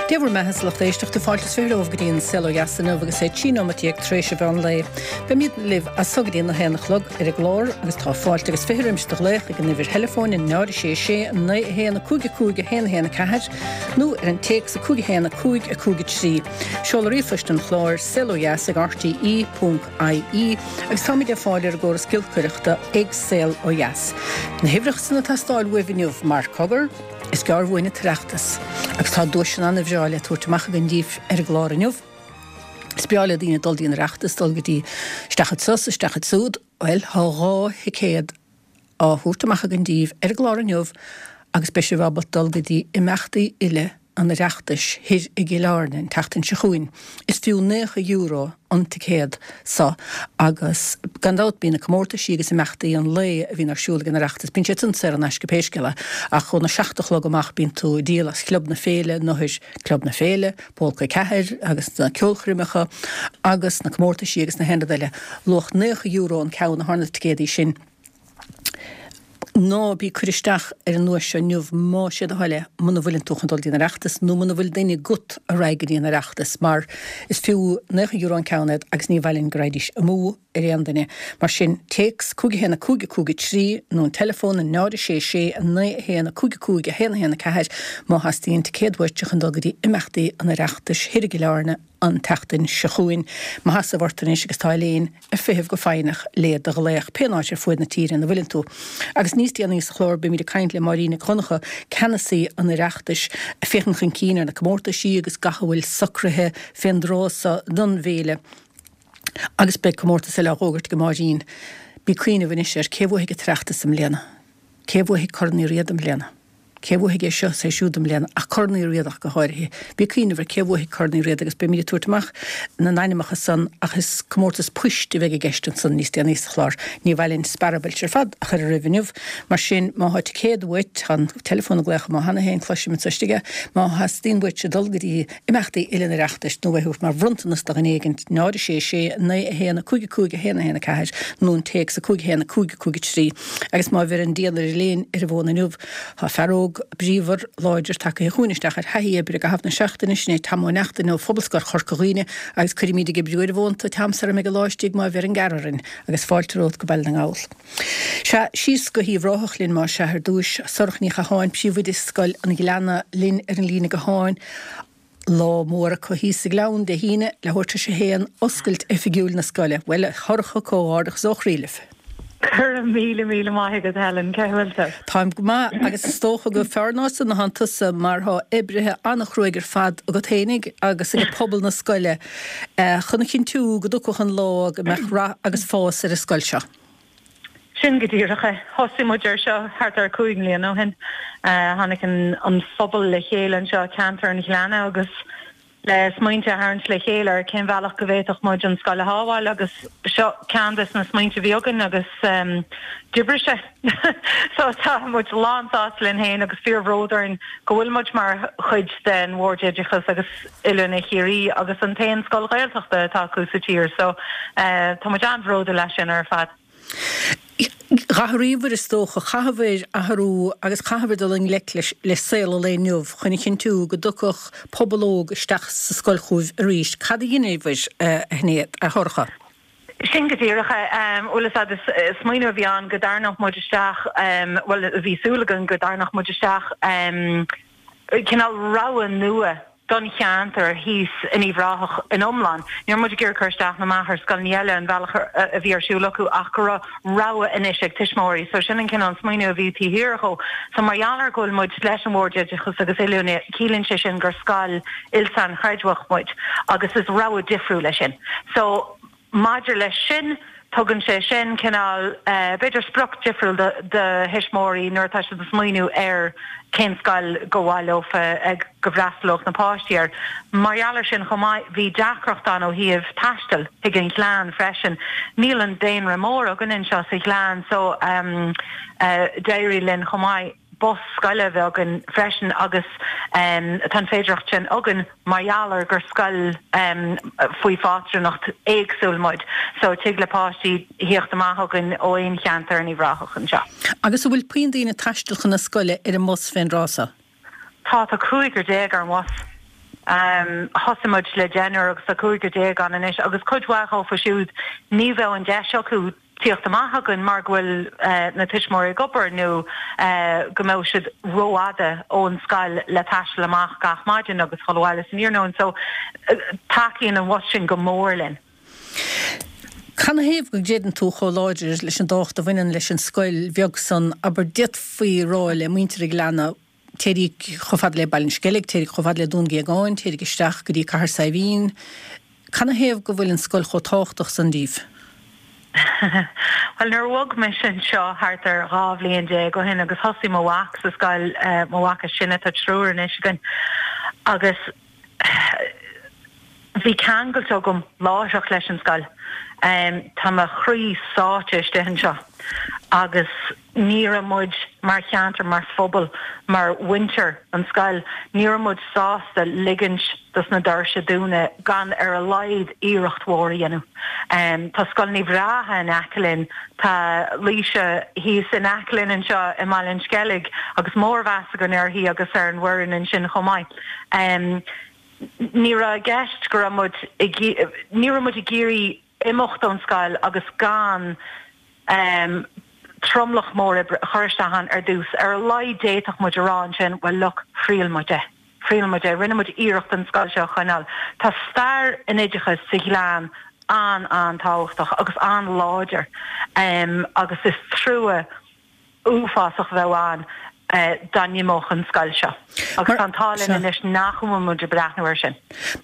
Dé bhur mbeatha, a lucht éisteachta, fáilte is 20 romhaibh go dtí an Saol Ó Dheas inniu agus é 13 nóimeat tar éis an mheán lae. Beimid libh as so go dtí an 1 a chlog ar an gclár agus tá fáilte agus 20 roimis do ghlaoch ag an uimhir theileafóin 0 6 6 9 1 5 5 1 1 4 nó ar an téacs 5 1 5 5 3. Seoladh ríomhphoist an chláir, saolodheas ag rte ponc ie agus táimid ar fáil ar an gcóras giolcaireachta ag Saol Ó Dheas. Na huimhreacha san ag teastáil uaibh inniu mar, cogar, Is gearr uainn an tOireachtas agus tá duaiseanna ana-bhreá le tabhairt amach againn díbh ar an gclár inniu. Is breá le daoine dul dtí an Oireachtas, dul go dtí isteach anso is isteach ansúd. Bhuel, tá 2 thicéad á thabhairt amach againn díbh ar an gclár inniu agus beidh sibh ábalta dul go dtí imeachtaí uile an Oireachtais thoir i gCill Airne an tseachtain seo chugainn. Is fiú €90 an ticéad so agus gan dabht bíonn na comórtaisí agus imeachtaí an lae a bhíonn ar siúl ag an Oireachtas, bíonn siad san saor in aisce pé scéal é ach óna seacht a chlog amach bíonn tú ag díol as Club na Féile nó thoir Club na Féile, Pólca 4 agus na ceolchoirmeacha agus na comórtaisí agus na haon rud eile. Luach €90 an ceann atá ar na ticéadaí sin. Ná bí ag cur isteach ar an nduais seo inniu más é do thoil é muna bhfuileann tú chun dul dtí an Oireachtas nó muna bhfuil duine agat a raghaidh go dtí an Oireachtas mar is fiú €90 an ceann iad agus ní mhaith linn go raghaidís amú ar aon duine. Mar sin, téacs 5 1 5 5 3 nó an teileafón 0 6 6 9 1 5 5 1 1 4 má theastaíonn ticéad uait chun dul go dtí imeachtaí an Oireachtais thoir i gCill Airne an tseachtain seo chugainn. Mo sheasamh ort anois agus tá Elaine ag feitheamh go foighneach le do ghlaoch, pén áit ar fuaid na tíre ina bhfuileann tú. Agus níos déanaí sa chlár beimid ag caint le Máirín Nic Dhonncha, ceannasaí an Oireachtais, ag féachaint chun cinn ar na comórtaisí agus gach a bhfuil socraithe fén dtráth so don bhféile. Agus beidh comórtas eile á dh'fhógairt ag Máirín. Bí ag cuimhneamh anois ar cé bhuafaidh an tOireachtas i mbliana? Cé bhuafaidh Corn Uí Riada i mbliana? Cé a bhuafaidh é seo is é siúd i mbliana, ach Corn Uí Riada ach go háirithe. Bí ag cuimhneamh ar cé a bhuafaidh Corn Uí Riada agus beimid ag tabhairt amach na n-ainmeacha san ach is comórtas poist a bheidh i gceist ansan níos déanaí sa chlár. Ní mhaith linn sparabailt ar fad a chur oraibh inniu. Mar sin, má thá ticéad uait, tá an teileafón ag glaoch amuigh cheana féin, cloisim anso istigh é, má theastaíonn uaitse dul go dtí imeachtaí uile an Oireachtais nó é a thabhairt mar bhronntanas do dhuine éigin, 0 6 6 9 1 5 5 1 1 4 nó an téacs 5 1 5 5 3. Agus má bheireann dian ar Elaine ar an bhfón inniu, tá fear óg bríomhar láidir tagtha chugainn isteach ar thaithí oibre i gcaitheamh na seachtaine, sin é Tom Ó Neachtain ó Phobalscoil Chorca Dhuibhne agus cuirfimid ag oibriú ar an bhfón tú Tom sara mbeidh an lá istigh má bheireann gearradh orainn agus fáilte romhat go Baile na nGall. Sea, síos go hUíbh Ráthach linn más ea ar dtúis. Sorcha Ní Chatháin, Príomhoide Scoil an Ghleanna linn ar an líne gutháin. Lá mór acu thíos sa Ghleann Dé hAoine, leathuair tar éis a haon, oscailt oifigiúil na scoile. Bhuel, a Shorcha, comhghairdeachas ó chroí libh. Go raibh míle míle maith agat Helen, cé bhfuil tú? Táim go maith agus is dócha gur fearr ná san atánn tusa mar thá oibrithe an-chruaidh ar fad agat fhéinig agus ag pobal na scoile chun a chinntiú go dtiocfadh an lá go mbeadh rath agus fás ar an scoil seo. Sin go díreach é. Thosaigh muid ar seo thart ar 5 mbliana ó shin. Tháinig an phobal le chéile anseo i ceantar an Ghleanna agus le smaointe a tharraingt le chéile ar cén bhealach go bhféadfadh muid an scoil a shábháil agus seo ceann des na smaointe a bhí againn agus d'oibrigh sé. So tá muid lán sásta linn féin agus fíor bhród orainn go bhfuil muid mar chuid den Bhord Oideachais agus Oiliúna Chiarraí agus an t-aon scoil Ghaeltachta atá acu sa tír so tá muid an-bhródúil as sin ar fad. D'athraíobhair, is dócha, chaitheabhair athrú agus chaitheabhair dul i ngleic le saol an lae inniu chun a chinntiú go dtiocfadh pobal óg isteach sa scoil chugaibh arís. Cad a dheineabhair, a Shinéad, a Shorcha? Sin go díreach é. Bhuel, is ea, is smaoineamh a bhí ann go dtarraingeodh muid isteach, bhuel, bhí súil againn go dtarraingeodh muid isteach cineál rogha nua don cheantar thíos in Uíbh Ráthach in iomlán. Ní raibh muid ag iarraidh cur isteach ná amach ar scoileanna eile an bhealach a bhí ar siúl acu ach go raibh rogha anois ag tuismitheoirí. So sin an cineál smaoineamh a bhí taobh thiar dhó. So mar gheall ar go bhfuil muid leis an Bhord Oideachais agus Oiliúna, ciallaíonn sé sin gur scoil il-sainchreidmheach muid agus is rogha difriúil é sin. So Maidir leis sin, tugann sé sin cineál, b'fhéidir, sprioc difriúil do thuismitheoirí nuair atá siad ag smaoineamh ar cén scoil go mhaith leofa go bhfreastalódh na páistí air. Mar gheall ar sin chomh maith, bhí deacracht ann ó thaobh taistil chuig an Ghleann freisin. Níl an daonra mór againn anseo sa Ghleann so d'éirigh linn chomh maith bus scoile a bheith againn freisin agus tá an féidearthacht sin againn mar gheall ar gur scoil faoi phátrúnacht éagsúil muid so tig le páistí thíocht amach chugainn ó aon cheantar in Uíbh Ráthach anseo. Agus an bhfuil puinn daoine ag taisteal chun na scoile ar an mbus fén dtráth so? Tá, tá cúigear ar an bhus. Thosaigh muid le deichniúr agus tá cúigear déag ann anois agus cuid mhaith dhófa siúd ní bheadh an deis acu tíocht amach chugainn mar go bhfuil na tuismitheoirí ag obair nó go mbeadh siad rófhada ón scoil le taisteal amach gach maidin agus dhul abhaile san iarnóin. So tacaíonn an bhus sin go mór linn. Canathaobh go gcreideann tú chomh láidir leis an dtábhacht a bhaineann leis an scoil bheag san, abair, d'fhéadfaí rá le muintir an Ghleanna, téiríg chomh fada le Baile an Sceilg, téiríg chomh fada le Dún Géagáin, téiríg isteach go dtí Cathair Saidhbhín. Canathaobh go bhfuil an scoil chomh tábhachtach san díbh? Bhuel, nuair a bhog mise anseo thart ar 12 bhliain ó shin agus thosaigh mo mhac sa scoil, mo mhac is sine, tá triúr anois againn, agus bhí ceangailt agam láithreach leis an scoil. Tá mo chroí sáite istigh anseo agus ní raibh muid mar cheantar, mar phobal, mar mhuintir an scoil, ní raibh muid sásta ligint dos na doirse dúnadh gan ar a laghad iarracht mhór a dhéanamh. Tá scoileanna bhreátha in aice linn, tá Laoise thíos in aice linn anseo i mBaile an Sceilg agus mórmheas againn uirthi agus ar an bhfoireann ansin chomh maith. Ní raibh i gceist go raibh muid ag, ní raibh muid ag iarraidh imeacht ón scoil agus gan tromlach mór oibre a chur isteach ann ar dtús. Ar a laghad d'fhéadfadh muid a rá ansin, well look, thriail muid é. Thriail muid é. Rinne muid iarracht an scoil seo a choinneáil. Tá stair an oideachais sa Ghleann an-an-tábhachtach agus an-láidir agus is trua uafásach a bheadh ann dá n-imeodh an scoil seo. Agus tá an t-ádh linn anois nach bhfuil muid ag breathnú air sin.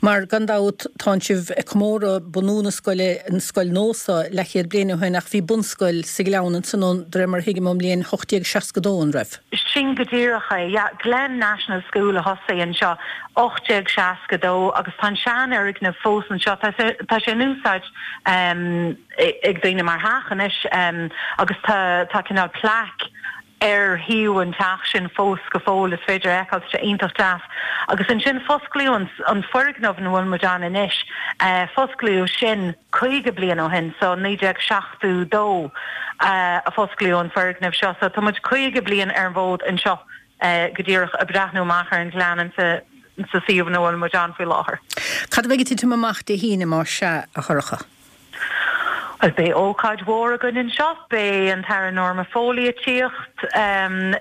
Mar, gan dabht, tánn sibh ag comóradh bunú na scoile, an scoil nua seo, leathchéad bliain ó shin, ach bhí bunscoil sa Ghleann ansan ó, de réir mar a thuigim, ón mbliain 1862, an raibh? Sin go díreach é, yeah. Glen National School a thosaigh anseo, 1862, agus tá an seanfhoirgneamh fós anseo. Tá sé in úsáid ag daoine mar theach anois agus tá tá cineál plaic ar thaobh an teach sin fós go fóill, is féidir a fheiceáil, tá sé iontach deas. Agus ansin fosclaíodh an an foirgneamh ina bhfuil muid ann anois, fosclaíodh sin 50 bliain ó shin, so 1972 a fosclaíodh an foirgneamh seo, so tá muid 50 bliain ar an bhfód anseo go díreach ag breathnú amach ar an ghleann insa sa suíomh ina bhfuil muid ann faoi láthair. Cad a bheidh ag titim amach Dé hAoine más sea, a Shorcha? Bhuel, beidh ócáid mhór againn anseo. Beidh an tAire Norma Foley ag tíocht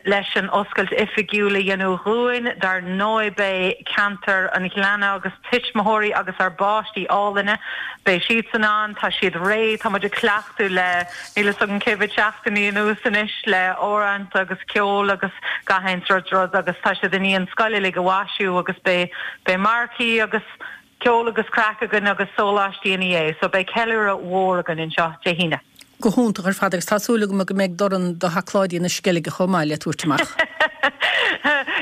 leis an oscailt oifigiúil a dhéanamh dhúinn. Dar ndóigh beidh ceantar an Ghleanna agus tuismitheoirí agus ár bpáistí álainne, beidh siadsan ann. Tá siad réidh. Tá muid ag cleachtadh le níl fhios agam cé mhéad seachtainí anuas anois le amhráin agus ceol agus gach aon sórt rud agus tá siad i ndiaidh an scoil uilig a mhaisiú agus beidh beidh marcaí agus Ceol agus craic againn agus sóláistí ina dhiaidh, so beidh ceiliúradh mhór againn anseo Dé hAoine. Go hiontach ar fad agus tá súil agam go mbeidh dorn do sheacláidí na Sceilge chomh maith le tabhairt amach.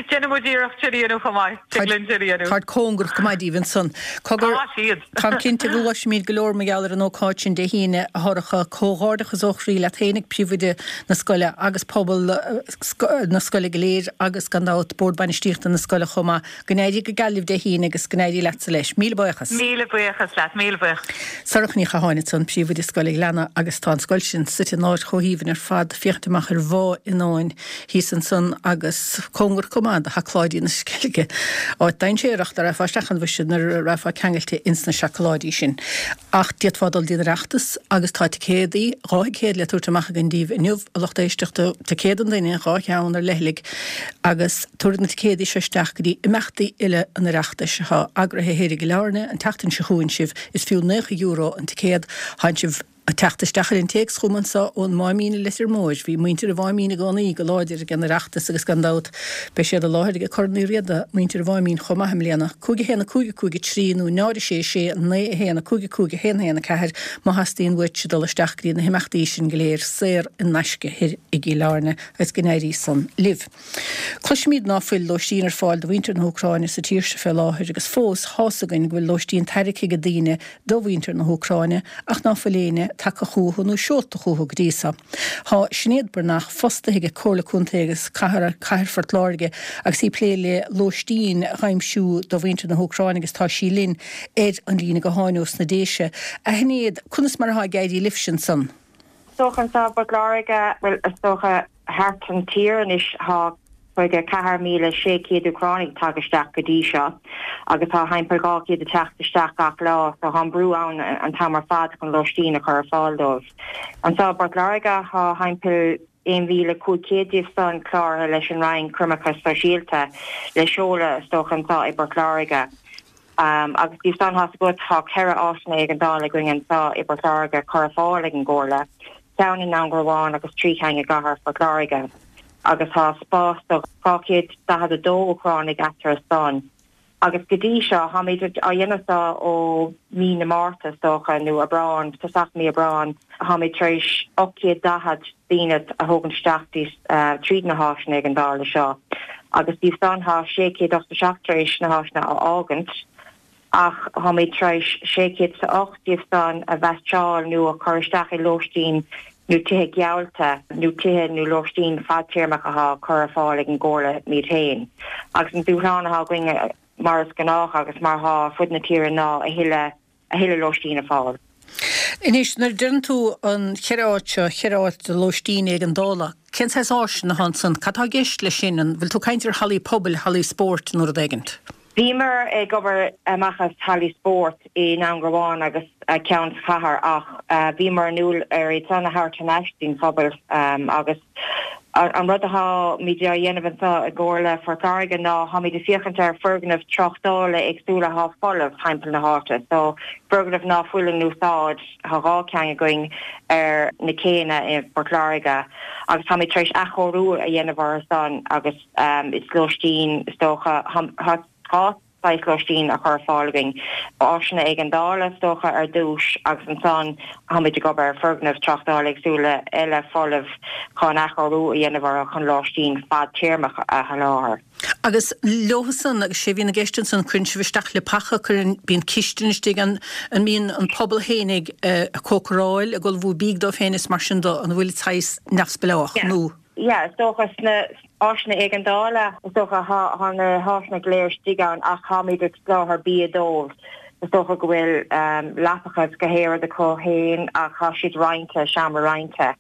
Déanfaidh muid iarracht sin a dhéanamh chomh maith. Tig linn sin a dhéanamh. Táid cóngarach go maith díbh ansan. Cogar, Tá siad. Táim cinnte go gcloisfimid go leor mar gheall ar an ócáid sin Dé hAoine, a Shorcha. Comhghairdeachas ó chroí leat féinig, príomhoide na scoile agus pobal na scoile go léir agus gan dabht Bord Bainistíochta na scoile chomh maith. Go n-éirí go geal libh Dé hAoine agus go n-éirí leatsa leis. Míle buíochas. Míle buíochas leat, míle buíochas. Sorcha Ní Chatháin ansan, Príomhoide Scoil an Ghleanna agus tá an scoil sin suite in áit chomh haoibhinn ar fad, féachaint amach ar Bhá Fhionnáin thíos ansan agus cóngarach chomh maith do Sheacláidí na Sceilge, áit dainséarach dá rachfá isteach ann mhuise nuair a rachfá ceangailte ins na seacláidí sin. Ach d'fhéadfá dul dtí an Oireachtas agus tá ticéadaí, 2 thicéad le tabhairt amach againn daoibh inniu, a lucht éisteachta, ticéad an duine, 2 cheann ar leithligh agus tabharfaidh na ticéadaí seo isteach go dtí imeachtaí uile an Oireachtais atá eagraithe thoir i gCill Airne an tseachtain seo chugainn sibh. Is fiú €90 an ticéad. Tánn sibh ag teacht isteach ar an téacs chugam anso ón Máimín i Leitir Móir. Bhí muintir an Mháimín i gcónaí go láidir ag an Oireachtas agus gan dabht beidh siad i láthair ag Corn Uí Riada, muintir an Mháimín chomh maith i mbliana. 5 1 5 5 3 nó 0 6 6 9 1 5 5 1 1 4 má theastaíonn uaitse dul isteach go dtí na himeachtaí sin go léir saor in aisce thoir i gCill Airne agus go n-éirí san libh. Cloisimid ná fuil lóistín ar fáil do mhuintir na hÚcráine sa tír seo fé láthair agus fós thá's againn go bhfuil lóistín tairgthe ag daoine do mhuintir na hÚcráine ach ná fuil éinne tagtha chúthu nó seolta chúthu go dtí so. Thá Sinéad Breathnach fostaithe ag Comhairle Contae agus Cathair Phort Láirge agus í ag plé le lóistín dh'aimsiú do mhuintir na hÚcráine agus tá sí linn ar an líne gutháin ós na Déise. A Shinéad, conas mar athá ag éirí libhse ansan? Is dócha anseo i bPort Láirge, bhuel is dócha thart an tír anois, tá. 54,600 Úcránaigh tagtha isteach go dtí seo agus tá thimpeall 200 ag teacht isteach gach lá so tá an brú ann an t-am ar fad chun lóistín a chur ar fáil dóibh. Anseo i bPort Láirge tá thimpeall 1,500 díobh san cláraithe leis an Roinn Coimirce Sóisialta le seoladh is dócha anseo i bPort Láirge. Agus díobh san tá's agat tá 4 áiseanna éigeandála againn anseo i bPort Láirge curtha ar fáil ag an gComhairle, ceann i nDún Garbhán agus 3 cheann i gcathair Phort Láirge. Agus tá spás do 242 Úcránaigh eatarthu san. Agus go dtí seo, táimid á dhéanamh seo ó mí na Márta, is dócha, nó Aibreán, tosach mí Aibreán, táimid tar éis 840 daoine a thógaint isteach tríd na háiseanna éigeandála seo. Agus díobh san, tá 687 tar éis na háiseanna a fhágaint, ach táimid tar éis 608 díobh san a mheaitseáil nó a chur isteach i lóistín nó tithe geallta nó tithe nó lóistín fadtéarmach atá curtha ar fáil ag an gComhairle iad féin. Agus an dúshlán atá againn, mar is gnách agus mar atá ar fud na tíre, ná a thuilleadh a thuilleadh lóistín a fháil. Anois, nuair a deireann tú an cheithre áit seo, cheithre áit de lóistín éigeandála, cén saghas áiseanna atá ansan? Cad tá i gceist leis sin? An bhfuil tú ag caint ar hallaí pobail, hallaí spóirt nó rud éigint? Bhíomar ag obair amach as hallaí spóirt i nDún Garbhán agus ceann sa chathair ach bhíomar ag súil ar iad san a thabhairt thar n-ais don phobal agus an rud atáimid á dhéanamh anseo i gComhairle Phort Láirge ná táimid ag féachaint ar foirgnimh tráchtála éagsúla atá folamh timpeall na háite. So foirgnimh ná fuil in úsáid, tá 2 ceann againn ar na céanna i bPort Láirge agus táimid tar éis athchóiriú a dhéanamh orthu san agus Is lóistín, is dócha, tá 2 saghas lóistín á chur ar fáil againn. Áiseanna éigeandála, is dócha, ar dtús agus ansan táimid ag obair ar foirgnimh tráchtála éagsúla eile folamh chun athchóiriú a dhéanamh orthu chun lóistín fadtéarmach a sholáthar. Agus leothusan, agus sé a bhíonn i gceist ansan, cuireann sibh isteach leapacha, cuireann, bíonn cistin istigh ann, an mbíonn an pobal fhéinig ag cócaráil, ag ullmhú bídh dóibh féin is mar sin de, an bhfuil saghas neamhspleách nó? Yeah, is dócha sna áiseanna éigeandála, is dócha thá na háiseanna go léir istigh ann ach táimid ag soláthar bia dóibh. Is dócha go bhfuil leapacha is gach aon rud acu féin ach thá siad roinnte, seomra roinnte.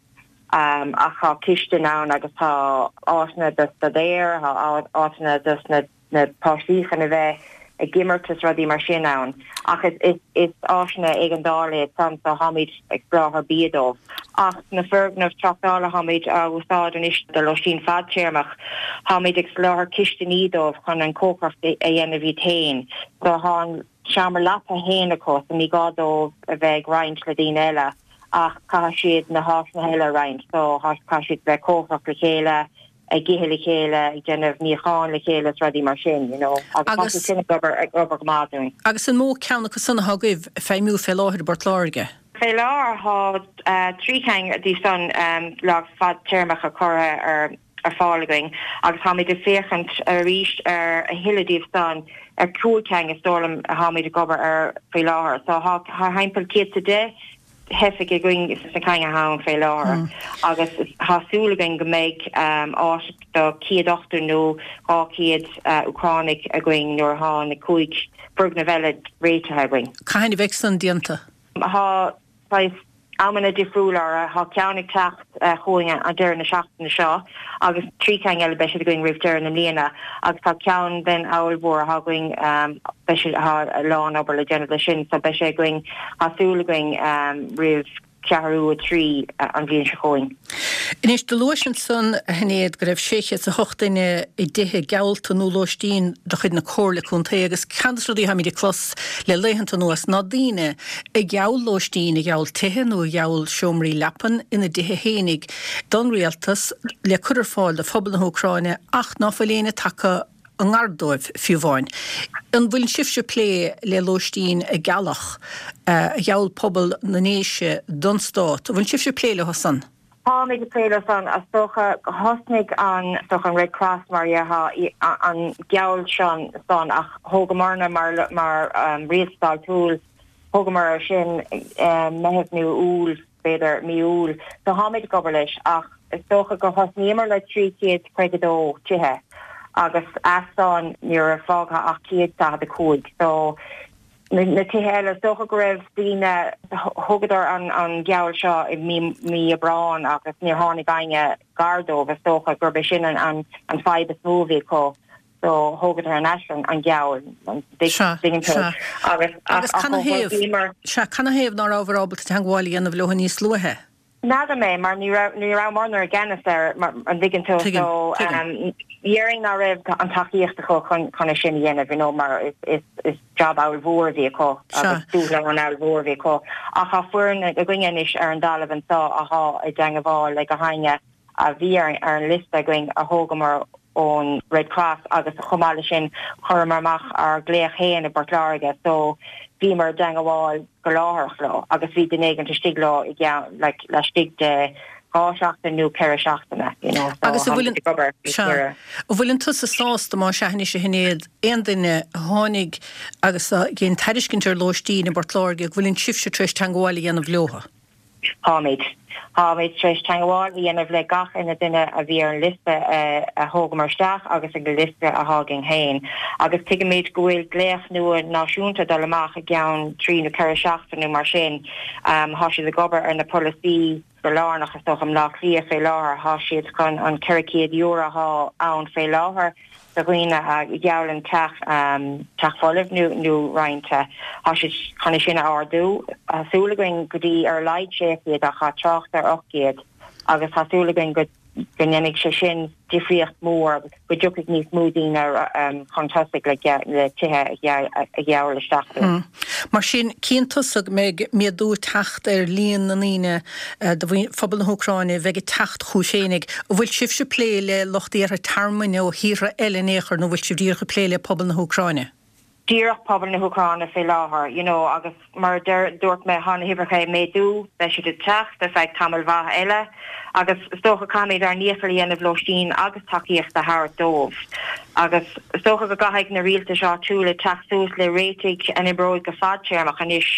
Ach thá cistin ann agus tá áiteanna dos na daoir, thá áiteanna dos na na páistí chun a bheith ag imirt is rudaí mar sin ann. Ach is is áiseanna éigeandála iad san so tháimid ag soláthar bia dóibh. Ach na foirgnimh tráchtála tháimid á úsáid anois do lóistín fadtéarmach. Tháimid ag soláthar cistiní dóibh chun an cócaireacht a dhéanamh iad féin. So thá an seomra leapa féin acu so ní gá dóibh a bheith ag roinnt le daoine eile ach caithfidh siad na háiseanna eile a roinnt. So caithfidh siad bheith cócaireacht le chéile, ag ithe le chéile, ag déanamh níocháin le chéile is rudaí mar sin, you know. Agus tá sé sin ag obair, ag obair go maith dúinn. Agus an mó ceann acu san atá agaibh ag feidhmiú fé láthair i bPort Láirge? Fé láthair tá 3 cheann díobh san le fadtéarmacha curtha ar ar fáil againn agus táimid ag féachaint arís ar a thuilleadh díobh san, ar 5 cheann is dóigh liom atáimid ag obair ar faoi láthair. So tá thimpeall 110 theifigh againn sna cinn atá ann fé láthair agus tá súil againn go mbeidh áit do 180 nó 200 Úcránaigh againn nuair atá na 5 foirgneamh eile réitithe againn. Cathain a bheidh san déanta? Tá saghas amanna difriúla orthu. Tá ceann ag teacht chugainn an deireadh na seachtaine seo agus 3 cheann eile beidh siad againn roimh deireadh na mbliana agus tá ceann den abhall mhór atá againn beidh sé tá a lán obair le déanamh leis sin so beidh sé againn tá súil againn roimh cheathrú a 3 an bhliain seo chugainn. Anois, do luais ansan, a Shinéad, go raibh 608 duine i dtithe geallta nó lóistín de chuid na Comhairle Contae agus ceann de na rudaí atáimid ag clos le laethanta anuas ná daoine a gheall lóistín, a gheall tithe nó a gheall seomraí leapan ina dtithe fhéinig don rialtas le cur ar fáil do phobal na hÚcráine ach ná fuil éinne tagtha i ngar dóibh fiú amháin. An bhfuil sibhse ag plé le lóistín a gealladh, a gheall pobal na nDéise don stát? An bhfuil sibhse ag plé leo san? Táimid ag plé leo san. Is dócha thosnaigh an, is dócha an Red Cross mar a déarfá, an geall sin san ach thógamarna mar, mar rialtas áitiúil, thógamar ar sin Meitheamh nó Iúil, b'fhéidir mí Iúil. So tháimid ag obair leis ach is dócha gur thosnaíomar le 352 tithe agus as san ní raibh fágtha ach 145. So. Na tithe eile, is dócha go raibh daoine, thógadar an geall seo i mí Aibreáin agus níor tháinig éinne gar dóibh, is dócha gurb é sin an fadhb is mó a bhí acu so thógadar thar n-ais an geall, an dtuigeann tú? Agus Agus canathaobh, sea, canathaobh ná rabhabhair ábalta teangmháil a dhéanamh leo níos luaithe? N'fheadar mé, mar ní raibh, ní rabhamarna i gceannas air, an dtuigeann tú? Tuigim, So, tuigim. déarfainn ná raibh an tacaíocht acu chun, chun é sin a dhéanamh, you know, mar is, is, is job ollmhór a bhí acu agus dúshlán ollmhór a bhí acu. Ach tá foireann againne anois ar an dtalamh anseo athá i dteangabháil le gach éinne a bhí ar, ar an liosta againn a thógamar ón Red Cross agus chomh maith le sin chuireamar amach ár nglaoch féin i bPort Láirge so bhíomar i dteangabháil go láithreach leo agus bhí duine éigint istigh leo i gceann like laistigh de 2 seachtain nó 4 seachtaine you know so Agus an bhfuil an, ag obair sea, an bhfuileann tusa sásta más ea anois a Shinéad, aon duine a tháinig agus a dhein tairiscint ar lóistín i bPort Láirge go bhfuileann sibhse tar éis teangabháil a dhéanamh leotha? Táimid. Táimid tar éis teangabháil a dhéanamh le gach uile duine a bhí ar an liosta a thógamar isteach agus ag an liosta athá againn féin. Agus tuigimid go bhfuil glaoch nua náisiúnta ag dul amach i gceann trí nó 4 seachtain nó mar sin. Thá siad ag obair ar na polasaí go lárnach is dócha i mBleá Cliath fé láthair. Thá siad chun an €400 athá ann fé láthair do dhaoine a gheallann teach, teach folamh nó nó roinnte. Tá siad chun é sin a ardú. Tá súil againn go dtí ar a laghad 600 ach tá trácht ar 800 agus tá súil againn go go ndéanfaidh sé sin difríocht mhór agus go dtiocfaidh níos mó daoine chun tosaigh le le tithe a gheall isteach dúinn. Mar sin, cíonn tusa go mbeidh méadú ag teacht ar líon na ndaoine de phobal na hÚcráine a bheidh ag teacht chugaibh féinig. An bhfuil sibhse ag plé le lucht iarrtha tearmainn ó thíortha eile in aon chor nó bhfuil sibh díreach ag plé le pobal na hÚcráine? Díreach pobal na hÚcráine fé láthair, you know, agus mar a deir, dúirt mé, thá na huimhreacha ag méadú, beidh siad ag teacht ar feadh tamaill mhaith eile agus is dócha caithfimid ár ndícheall a dhéanamh lóistín agus tacaíocht a thabhairt dóibh. Agus is dócha go gcaithfidh na rialtais áitiúla teacht suas le réitigh a n-oibreoidh go fadtéarmach anois,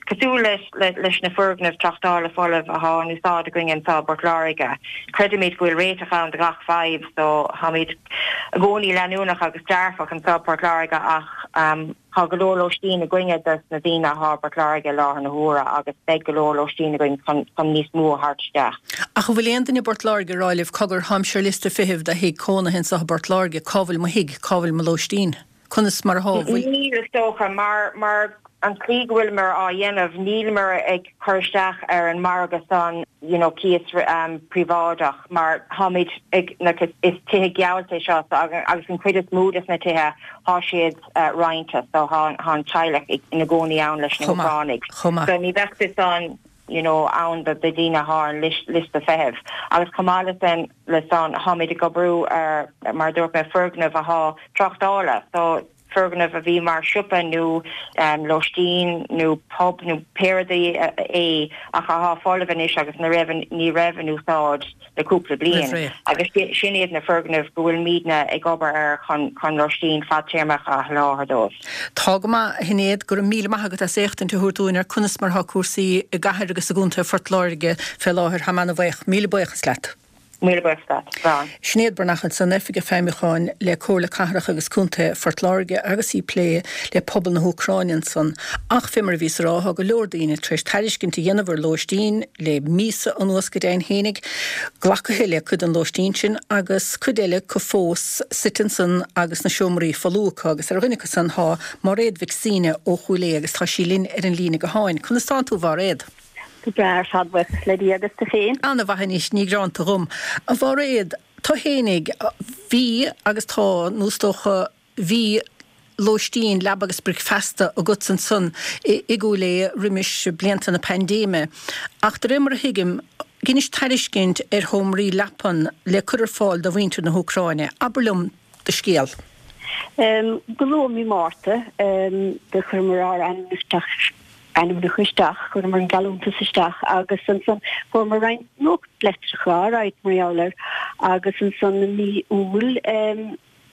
Cosúil leis na foirgnimh tráchtála folamh athá in úsáid againn anseo i bPort Láirge, creidimid go bhfuil réiteach ann do gach fadhb so táimid i gcónaí leanúnach agus dearfach anseo i bPort Láirge ach tá go leor lóistín againne dos na daoine athá i bPort Láirge i láthair na huaire agus beidh go leor lóistín againn chun níos mó a thabhairt isteach. Ach an bhfuil aon duine i bPort Láirge ag rá libh, cogar, tháimse ar liosta feithimh do thigh cónaithe anseo i bPort Láirge, cá bhfuil mo thigh, cá bhfuil mo lóistín? Conas mar athá? Bhfuil. Níl, is dócha, mar, mar an tslí go bhfuileamar á dhéanamh, níleamar ag cur isteach ar an margadh san, you know, cíos príobháideach, mar táimid ag, like, is, is tithe geallta é seo, so, agus an chuid is mó des na tithe, thá siad roinnte, so thá, thá an teaghlach ina gcónaí ann leis na Chomh maith, hÚcránaigh. chomh maith. So ní bheadh fios ann. you know, ann do daoine athá ar an liosta feithimh. Agus chomh maith le san, le san, tháimid ag oibriú ar, mar a dúirt mé, foirgneamh athá tráchtála, so foirgneamh a bhí mar siopa nó lóistín nó pub nó pé rud é ach athá folamh anois agus na raibh, ní raibh in úsáid. le cúpla bliain agus sin iad na foirgnimh go bhfuilimidne ag obair air chun chun lóistín fadtéarmach a sholáthar dóibh. Tá go maith, a Shinéad, go raibh míle maith agat as éachtaint a thabhairt dúinn ar conas mar atá cúrsaí i gcathair agus i gcontae Phort Láirge fé láthair. Táim ana-bhaoch. Míle buíochas leat. Míle buíochas leat. Slán. Sinéad Breathnach ansan, Oifigeach Feidhmiúcháin le Comhairle Cathrach agus Contae Phort Láirge agus í ag plé le pobal na hÚcráine ansan. Ach fé mar a bhíos a rá, tá go leor daoine tar éis tairiscint a dhéanamh ar lóistín le míosa anuas go deimhin fhéinig. Glacaithe le cuid den lóistín sin agus cuid eile acu fós suite ansan agus na seomraí folamh acu agus ar dhuine acu san tá Máiréad Mhic Suibhne ó Chúil Aodha agus tá sí linn ar an líne gutháin. Conas tánn tú, a Mháiréad? Go breá ar fad, buíochas le Dia agus tú féin. Ana-mhaith anois, ní gearánta dhom. A Mháiréad, tú fhéinig, bhí agus tá, nó is dócha, bhí lóistín, leaba agus bricfeasta agatsa ansan i gCúil Aodha roimis blianta na paindéime. Ach de réir mar a thuigim, dheinis tairiscint ar sheomraí leapan le cur ar fáil do mhuintir na hÚcráine. Abair liom do scéal. Go luath mí Márta, do chuireamar ár ainmneacha ainmneacha isteach, chuireamar an geallúntas isteach agus ansan fuaireamar roinnt nuachtlitreacha, alright, mar gheall air agus ansan i mí Iúil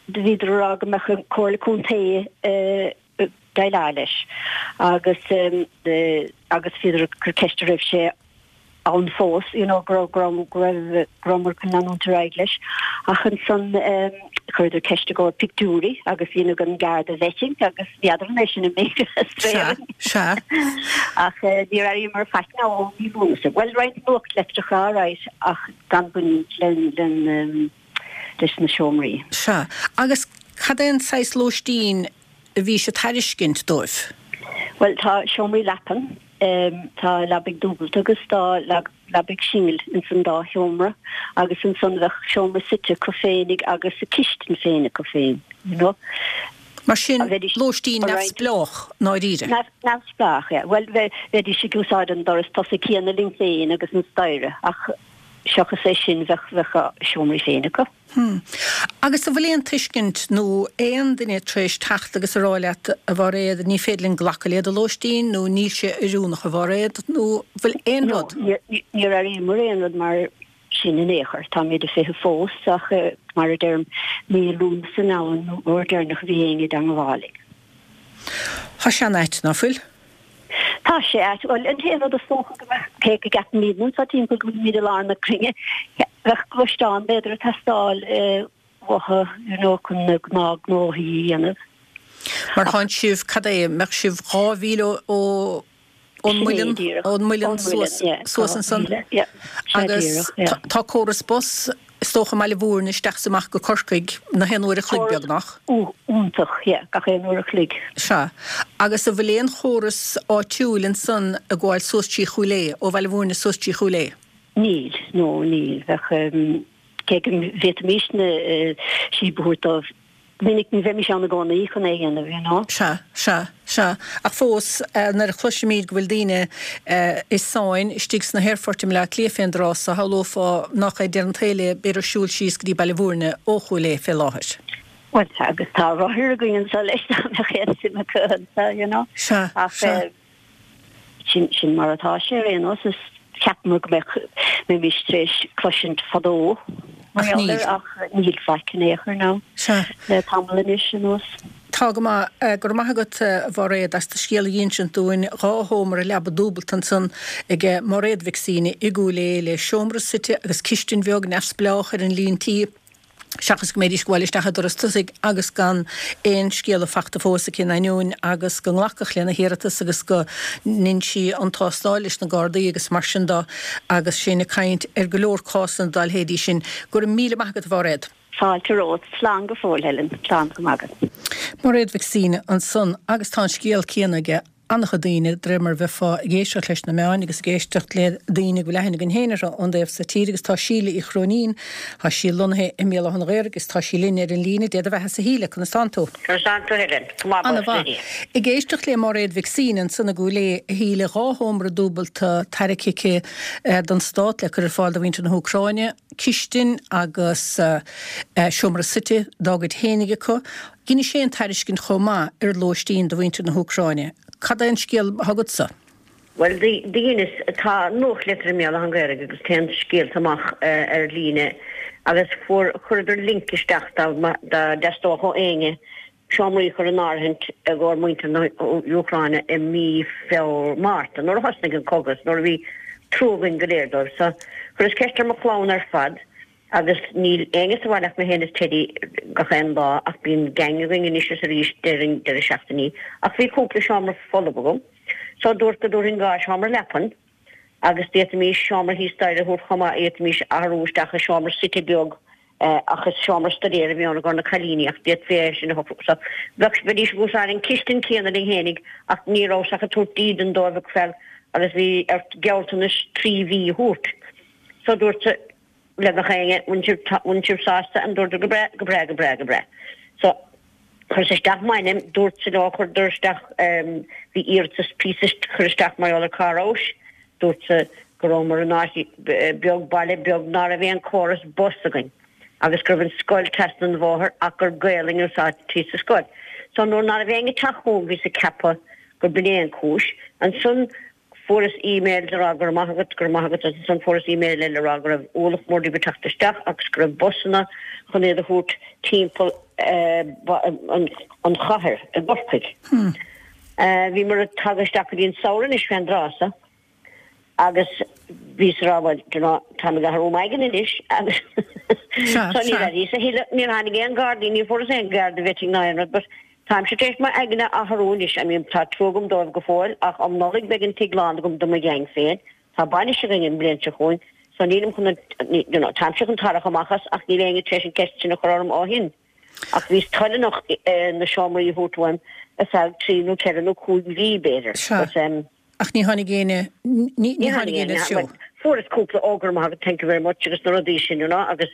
do bhíodar a rá go mbeadh an Comhairle Contae ag déileáil leis agus agus bhíodar ag cur ceiste raibh sé. ann fós, you know, go raibh, go raibh, go raibh, go rabhamar chun leanúint ar aghaidh leis. Ach ansan chuireadar ceist i gcomhair pictiúirí agus dheineadh an Garda vetting agus n'fheadar an é sin an méid a Sea, sea. Ach níor airíomar faic now ó mhí Lúnasa. Bhuel, roinnt nuachtleitreacha alright ach gan baint len, leis na seomraí. Sea. Agus cad é an saghas lóistín a bhís ag tairiscint dóibh? Bhuel, tá seomraí leapan, tá leabaidh dúbailte agus tá leabaidh singil ins an dá sheomra agus ansan bheadh seomra suite acu féinig agus a cistin féin acu féin, you know. Mar sin, lóistín neamhspleách i ndáiríre? Neamhspleách, yeah. Bhuel, bheidís ag úsáid an doras tosaigh céanna linn féin agus an staighre ach seachas é sin bheadh, bheadh a seomraí féin acu. Hm. Agus an bhfuil aon tuiscint nó aon duine tar éis teacht agus a rá leat, a Mháiréad, ní féidir linn glacadh le do lóistín nó níl sé oiriúnach a Mháiréad nó an bhfuil aon rud? No, níor airíomar aon rud mar sin in aon chor. Táimid ag feitheamh fós ach mar a deirim, mí Lúnasa now an uair deireanach a bhí éinne i dteangmháil linn. Tá sé an-ait, ná fuil? Tá sé ait. Bhuel, an t-aon rud is dócha go mbeadh, cé go gceapaimid anseo timpeall go bhfuilimid i lár na cruinne, bheadh gluaisteán b'fhéidir ag teastáil uathu, you know, chun na gnáthghnóthaí a dhéanamh. Mar tánn sibh, cad é, mbeadh sibh 2,000 ó, ón muileann, ón muileann suas, suas ansan? Agus tá córas bus, is dócha i mBaile Mhúirne isteach is amach go Corcaigh na haon uair a chloig beagnach. Iontach, yeah, gach aon uair a chloig. Sea. Agus an bhfuil aon chóras áitiúil ansan ag gabháil suas trí Chúil Aodha, ó Bhaile Mhúirne suas trí Chúil Aodha? Níl, no, níl. Bheadh, cé go bhféadfaimisne síob a thabhairt dóibh, minic ní bheimis ann i gcónaí chun é a dhéanamh, you know. Sea, sea, sea. Ach fós, nuair a chloisimid go bhfuil daoine i sáinn istigh sna haerfoirt i mBleá Cliath fén dtráth so, shamhlófá nach é deireadh an tsaoil é b'fhéidir siúl síos go dtí Baile Mhúirne ó Chúil Aodha fé láthair. Bhuel, sea, agus tá rothair againn anseo leis dá mbeadh aon suim acu anseo, you know. Sea, Ach, sea. Sin, sin mar atá sé ar aon nós. Is cheapamar go mbeadh, mbeimis tar éis cloisint fadó mar Ach gheall níl. air ach níl faic in aon chor now Sea. le tamall anois anuas. Tá go maith. Go raibh maith agat, a Mháiréad, as do scéal a dh'insint dúinn. Dhá sheomra leaba dúbalta ansan ag Máiréad Mhic Suibhne i gCúil Aodha le seomra suite agus cistin bheag neamhspleách ar an líon tí. seachas go mbeidís ag gabháil isteach an doras tosaigh agus gan aon scéala fachta fós aici in ainneoin agus go nglacadh lena hiarratas agus go ndein sí an tástáil leis na Gardaí agus mar sin de agus sinn ag caint ar go leor cásanna dá leithéidí sin. Go raibh míle maith agat a Mháiréad. Fáilte romhat. Slán go fóill, Helen. Slán go maidin. Mairéad Mhic Suibhne ansan agus tá an scéal céanna aige an-chuid daoine, de réir mar a bheifeá ag éisteacht leis na meáin agus ag éisteacht le daoine go bhfuil aithne againn féin orthu ón dtaobh so tíre agus tá Síle Uí Chróinín, tá sí lonnaithe i mBéal Átha an Ghaorthaidh agus tá sí linn ar an líne. Dé do bheatha-sa a Shíle, conas tánn tú? Conas tánn tú Helen? Go maith Ana mhaith. Ag éisteacht le Máiréad Mhic Suibhne ansan i gCúil Aodha, a Shíle, 2 sheomra dúbalta tairgthe aici don Stát le cur ar fáil do mhuintir na hÚcráine, cistin agus seomra suite dá gcuid fhéinig acu. Dheinis féin tairiscint chomh maith ar lóistín do mhuintir na hÚcráine. Cad é an scéal atá agatsa? Bhuel, dheineas, tá nuachtlitir i mBéal Átha an Ghaorthaidh agus téann scéalta amach ar líne agus fuair, chuireadar link isteach dá dteastódh ó éinne seomraí a chur in áirithint i gcomhair muintir na hÚcráine i mí Feabhra, Márta, nuair a thosnaigh an cogadh, nuair a bhí trua againn go léir dóibh. So, chuireas ceist ar mo chlann ar fad. Agus níl éinne sa bhaile ach mé féin is Teddy gach aon lá ach bíonn gang againn anois is arís déarfainn deireadh seachtainí. Ach bhí cúpla seomra folamh agam so dúrt go dtabharfainn 2 sheomra leapan agus d'fhéadfaimís seomra thíos staighre a thabhairt chomh maith, d'fhéadfaimís athrú isteach i seomra suite beag ach is seomra stuidéir a bhí ann i gcomhair na cailíní ach d'fhéadfaí é sin a shocrú. So bheadh, bheidís ag úsáid an cistin céanna linn fhéinig ach ní rabhas ach ag tabhairt dídean dóibh ag feil agus bhí ort gealltanais 3 mhí a thabhairt. So dúrt le gach éinne, bhfuil sibh, bhfuil sibh sásta? And dúradar go breá, go breá, go breá, go breá. So chuireas isteach m'ainm, dúrtsa leo, chuireadar isteach, bhí iarratas píosa chur isteach mar gheall ar cá rabhais, dúrtsa go rabhamar in áit beag, baile beag ná raibh aon córas bus againn agus go raibh an scoil trasna an bhóthair ach gur Gaelainn a úsáidtí sa scoil. So nuair ná raibh éinne ag teacht chugam bhíos ag ceapadh gur b'in é an cúis. Ansan Fuaireas email ag rá go raibh maith agat, go raibh maith agat agus ansan fuaireas email eile ag rá go raibh ualach mór díobh ag teacht isteach agus go raibh busanna chun iad a thabhairt timpeall an chathair i gCorcaigh. Bhíomar ag tagadh isteach go dtí an samhradh anois fén dtráth so. Agus bhíos ag rá, bhuel, do you know, táim ag athrú m'aigne anois agus so níor airíos a thuilleadh, níor tháinig aon Gardaí, níor fuaireas aon Garda vetting ná aon rud, but táimse tar éis m'aigne a athrú anois, I mean, tá trua agam dóibh go fóill ach um Nollaig beidh an tigh lán agam do mo gheaing féin, tá bainis againn an bhliain seo chugainn, so nílim chun an, you know, táimse chun tarrac amach as ach níl éinne tar éis an ceist sin a chur orm ó shin. Ach bhíos toileanach na seomraí a thabhairt uaim ar feadh trí nó ceithre nó cúig mhí, b'fhéidir. Sea. But, um. Ach ní tháinig éinne, ní tháinig éinne sa treo. Fuaireas cúpla ó go raibh maith agat, thank you very much agus na rudaí sin, you know, agus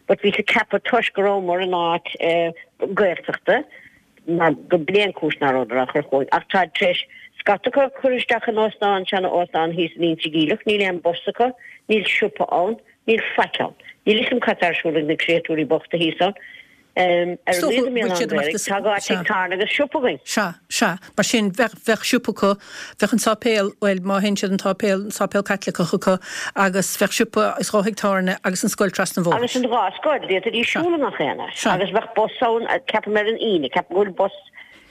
but bhíos ag ceapadh toisc go rabhamar in áit Gaeltachta mar go b'in é an cúis nach rabhadar á chur chugainn. Ach táid tar éis scata acu a chur isteach in óstán, seana óstán thíos in Inse Geimhleach, níl aon bus acu, níl siopa ann, níl faic ann. Níl fhios agam cad tá ar siúl ag na créatúirí bochta thíos ann. Ar a laghad i mBéal Átha an Ghaorthaidh, tá dhá tigh tábhairne agus siopa againn. Sea, sea. Mar sin, bheadh, bheadh siopa acu, bheadh an sáipéal, bhuel, má théann siad an tsáipéal, an sáipéal Caitliceach acu agus bheadh siopa is dhá thigh tábhairne agus an scoil trasna an bhóthair. Agus an dhá scoil, d'fhéadfaidís siúl i ngach aon áit. Sea. Agus bheadh bus ann, ceapaim ar an Aoine, ceapaim go bhfuil bus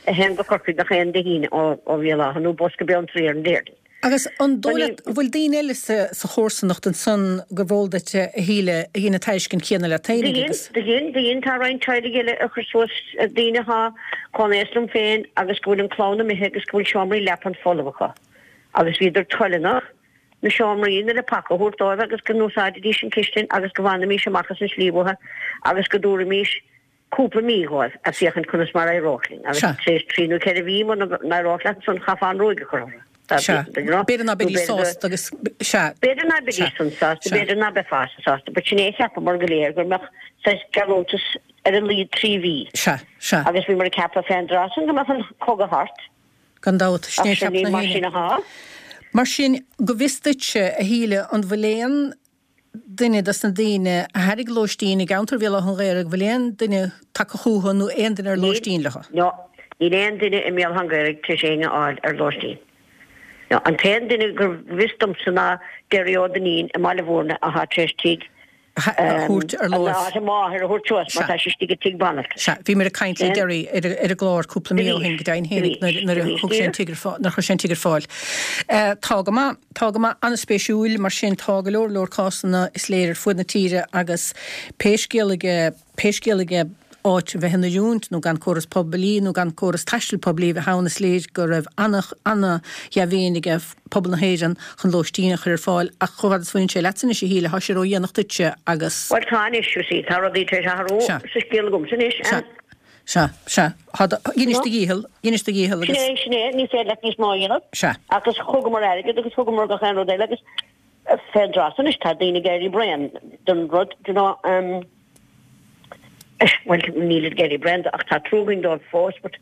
a théann go Corcaigh gach aon Dé hAoine ó Bhéal Átha nó bus go Beanntraí ar an Déardaoin. Agus an dóigh leat, an bhfuil daoine eile sa chomharsanacht ansan gurbh eol duit, a Shíle, a dhein an tairiscint chéanna leat féinig agus. Do dhein, do dhein, tá roinnt teaghlaigh eile a chuir suas, daoine athá chomh haosta liom féin agus go bhfuil an clann imithe agus go bhfuil seomraí leapan folamh acu agus bhíodar toileanach na seomraí na leapacha a thabhairt dóibh agus go n-úsáidfidís an chistin agus go bhfanfaimís amach as an slí uathu agus go dtabharfaimís cúpla mí dhóibh ag féachaint conas mar a éireodh linn agus tar éis trí nó ceithre mhí muna n-éireodh leat ansan chaithfeá an ruaig a chur orthu. Sea. B'fhéidir ná beidís sásta agus, sea. B'fhéidir ná beidís san sásta, b'fhéidir ná beifeása sásta, but sin é a cheapamar go léir go mbeadh saghas geallúntas ar a laghad trí mhí. Sea, sea. Agus bhíomar ag ceapadh fén dtráth san go mbeadh an cogadh thart. Gan dabht, sin é a cheap na mar sin athá. Mar sin, go bhfios duitse, a Shíle, an bhfuil aon duine dos na daoine a thairg lóistín i gceantar Bhéal Átha an Ghaorthaidh, bhfuil aon duine tagtha chucu nó aon duine ar lóistín leo? No. Níl aon duine i mBéal Átha an Ghaorthaidh tar éis éinne a fháil ar lóistín. No. An t-aon duine go bhfios domsa ná Derry Ó Duinnín i mBaile Mhúirne athá tar éis tigh a thabhairt ar láimh. Áit a máthair a thabhairt suas mar tá sí istigh i dtigh banaltrais. Sea, bhíomar ag caint le Derry ar an gclár cúpla mí ó shin, go deimhin féinig, nuair a thug sé an tigh ar fáil, nuair a chuir sé an tigh ar fáil. Tá go maith. Tá go maith, an-spéisiúil, mar sin tá go leor leor cásanna is léir ar fuaid na tíre agus pé scéal aige, pé scéal aige áit a bheith in oiriúint nó gan córas poiblí nó gan córas taistil poiblí a bheith ann is léir go raibh ana-dhea-mhéin aige pobal na hÉireann chun lóistín a chur ar fáil ach chomh fada is a bhaineann sé leatsa anois a Shíle, tá sé ró-dhéanach duitse agus. Bhuel tá anois, you see, tá rudaí tar éis athrú sa scéal agamsa anois and. Sea, sea. Tá do, dheinis do dhícheall, dheinis do dhícheall agus. Sin é, sin é, ní féidir leat níos mó a dhéanamh. Sea. Agus thugamar airgead agus thugamar gach aon rud eile agus fén dtráth san anois tá daoine ag éirí bréan den rud, do you know, um, bhuel, nílid ag éirí bréan de ach tá trua againn dóibh fós but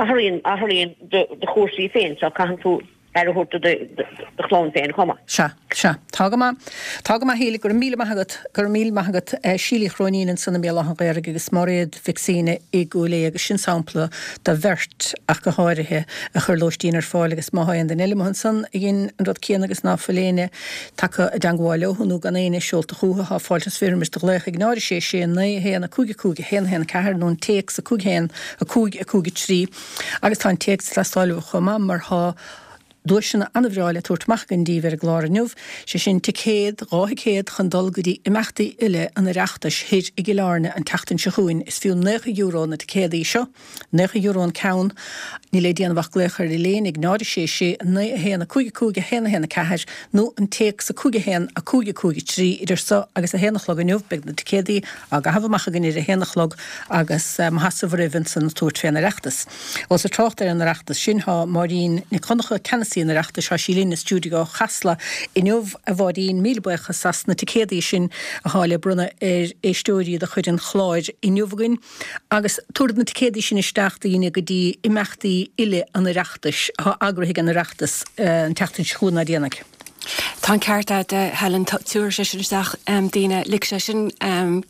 athraíonn, athraíonn do, do chúrsaí féin so caitheann tú aire a thabhairt do do chlann féin chomh maith. Sea, sea. Tá go maith. Tá go maith, a Shíle. Go raibh míle maith agat. Go raibh míle maith agat. Síle Uí Chróinín ansan i mBéal Átha an Ghaorthaidh agus Máiréad Mhic Suibhne i gCúil Aodha agus sin sampla de bheirt ach go háirithe a chuir lóistín ar fáil agus má thá aon duine eile amuigh ansan a dhein an rud céanna agus ná fuil éinne tagtha i dteangmháil leo nó gan éinne seolta chúthu thá fáilte is roimis do ghlaoch ag 0 6 6 9 1 5 5 1 1 4 nó an téacs 5 1 5 5 3 Agus tá an téacs ag teastáil uaibh chomh maith mar thá duaiseanna an-bhreá le tabhairt amach againn díbh ar an gclár inniu, sé sin ticéad, dhá thicéad chun dul go dtí imeachtaí uile an Oireachtais thoir i gCill Airne an tseachtain seo chugainn. Is fiú €90 na ticéadaí seo, €90 an ceann. Níl le déanamh ach glaoch ar Elaine ag 0 6 6 9 1 5 5 1 1 4 nó an téacs 5 1 5 5 3 idir so agus a haon a chlog inniu. Beidh na ticéadaí á gcaitheamh amach againn ar a haon a chlog agus mo sheasamh roimh ansan tabhairt fén Oireachtas. Ós ag trácht ar an Oireachtas sin, thá Máirín Nic Dhonncha, ceannasaí an Oireachtais, thá sí linn i stiúideo Chasla inniu. A Mháirín, míle buíochas as na ticéadaí sin athá le bronnadh ar éisteoirí de chuid an chláir inniu againn. Agus tabharfad na ticéadaí sin isteach do dhaoine go dtí imeachtaí uile an Oireachtais athá eagraithe ag an Oireachtas an tseachtain seo chugainn ná déanaigh. Tá an ceart agat, a Helen. Tabharfaidh sé sin isteach daoine, ligfidh sé sin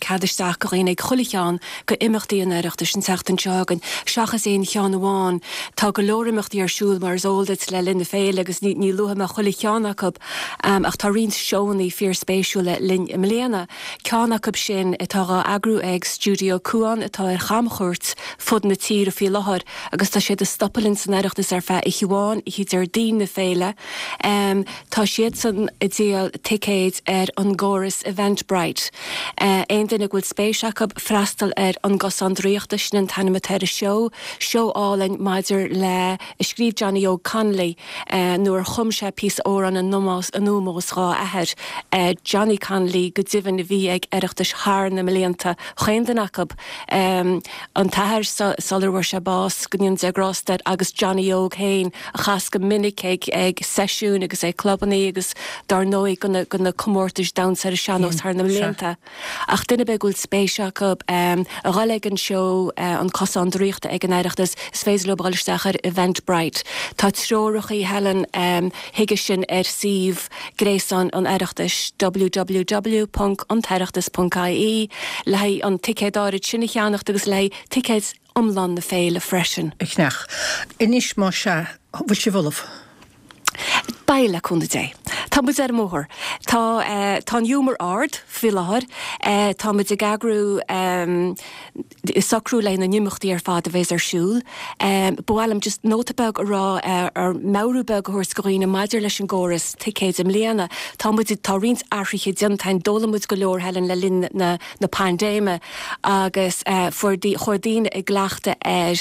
cead isteach go dhaoine ag chuile cheann go imeachtaí an Oireachtais an tseachtain seo chugainn, seachas aon cheann amháin. Tá go leor imeachtaí ar siúl, mar is eol duit, le linn na féile agus ní luafaidh mé chuile cheann acu, ach tá roinnt seónna fíorspéisiúla linn i mbliana. Ceann acu sin atá dhá eagrú ag Stiúideo Cuan atá ar chamchuairt fud na tíre faoi láthair agus tá siad ag stopadh linn san Oireachtas ar feadh oíche amháin, oíche Déardaoin na féile. Tá siad. siadsan ag díol ticéid ar an gcóras Eventbrite. Aon duine go bhfuil spéis acu freastal ar An Cosán Draíochta, sin an t-ainm atá ar an seó, seó álainn maidir le, a scríobh Johnny Óg Connolly nuair a chum sé píosa amhráin in ómós dhá athair, Johnny Connolly go deimhin a bhí ag Oireachtais thar na mblianta, chaon duine acu, an t-athair sular bhfuair sé bás, go ndéana Dia grásta air, agus Johnny Óg féin a chas go minic ag ag seisiúin agus ag clubannaí agus dár ndóigh go na go na comórtais damhsa ar an sean-nós thar na mblianta. Ach duine ar bith go bhfuil spéis acu a dhul ag an seó An Cosán Draíochta ag an Oireachtas, is féidir leo a dhul isteach ar Eventbrite. Tá treorachaí Helen chuige sin ar suíomh gréasáin an Oireachtais, www.antoireachtas.ie, le haghaidh an ticéad áirid sin a cheannacht agus le haghaidh ticéid iomlán na féile freisin. A chneach. Anois más ea, bhfuil sibh ullamh? Beidh, le cúnamh Dé. Tá muid ar an mbóthar. Tá, tá an giúmar ard faoi láthair. Tá muid ag eagrú, ag socrú le na n-imeachtaí ar fad a bheas ar siúl. Ba mhaith liom just nóta beag a rá, ar meabhrú beag a thabhairt go dhaoine maidir leis an gcóras ticéid i mbliana. Tá muid, tá roinnt athruithe déanta againn. D'fhoghlaim muid go leor, Helen, le linn na, na paindéime agus fuair, chuaigh daoine i gcleachtadh ar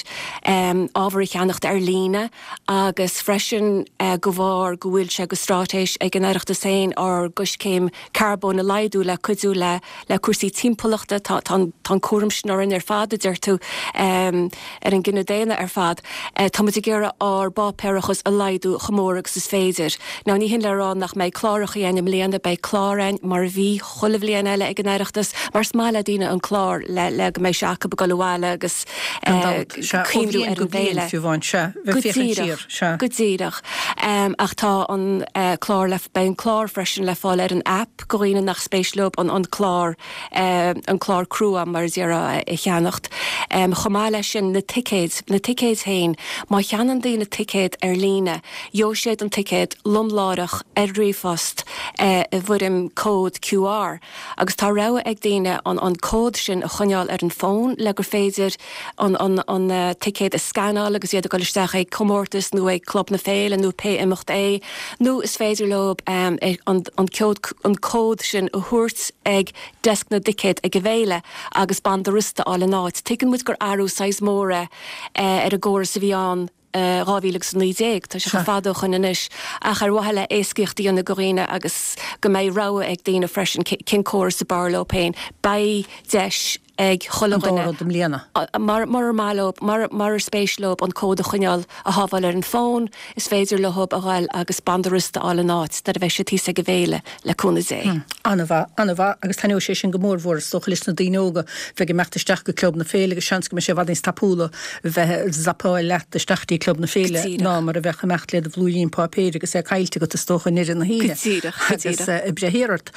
ábhar a cheannacht ar líne. agus freisin de bharr go bhfuil sé go straitéis ag an Oireachtas féin ár gcoiscéim carbóin a laghdú le cuidiú le le cúrsaí timpeallachta. Tá tá an cúram sin orainn ar fad, a deir tú, ar an gcine daonna ar fad. Tá muid ag iarraidh ár bpáipéarachas a laghdú chomh mór agus is féidir. Now ní hin le rá nach mbeidh clárachaí againn i mbliana, beidh clár againn mar a bhí chuile bhliain eile ag an Oireachtas mar is maith le daoine an clár le le go mbeidh sé acu ag dul abhaile agus Gan dabht, sea. Ó bhliain go bliain, fiú amháin, sea. Bheith féachaint siar, sea. Go díreach. Ach tá an clár le, beidh an clár freisin le fáil ar an aip go dhaoine nach spéis leo an an clár, an clár crua mar a déarfá a cheannacht. Chomh maith leis sin, na ticéid, na ticéid féin, má cheannaíonn daoine ticéad ar líne, gheobhaidh siad an ticéad lom láithreach ar ríomhphost i bhfoirm cód QR. Agus tá rogha ag daoine an an cód sin a choinneáil ar an bhfón le gur féidir an an an ticéad a scanáil agus iad ag dul isteach ag comórtas nó ag Club na Féile nó pé imeacht é, nó is féidir leo an an cód an cód sin a thabhairt ag deasc na dticéad ag an bhféile agus banda rosta a fháil in áit. Tuigeann muid gur athrú saghas mór é ar an gcóras a bhí ann. 2019. Tá sé chomh fada ó shoin anois, ach ar mhaithe le éascaíocht a dhéanamh go dhaoine agus go mbeidh rogha ag daoine freisin cén córas ab fhearr leo féin, beidh deis ag chuile dhuine. An dá rud i mbliana. Murar maith leo, murar spéis leo an cód a choinneáil, a shábháil ar an bhfón, is féidir leo a ghoil agus banda rosta a fháil in áit nuair a bheidh siad thíos ag an bhféile, le cúnamh Dé. An-mhaith, an-mhaith, agus taitneoidh sé sin go mór mhór is dócha leis na daoine óga a bheidh ag imeacht isteach go Club na Féile agus seans go mbeidh sé i bhfad níos tapúla bheith ag zapáil leat isteach dtí Club na Féile ná mar a bheadh imeacht le do bhlúirín páipéir agus é caillte agat is dócha i ndeireadh na hoíche Go díreach, go díreach. agus ag breith thiar ort.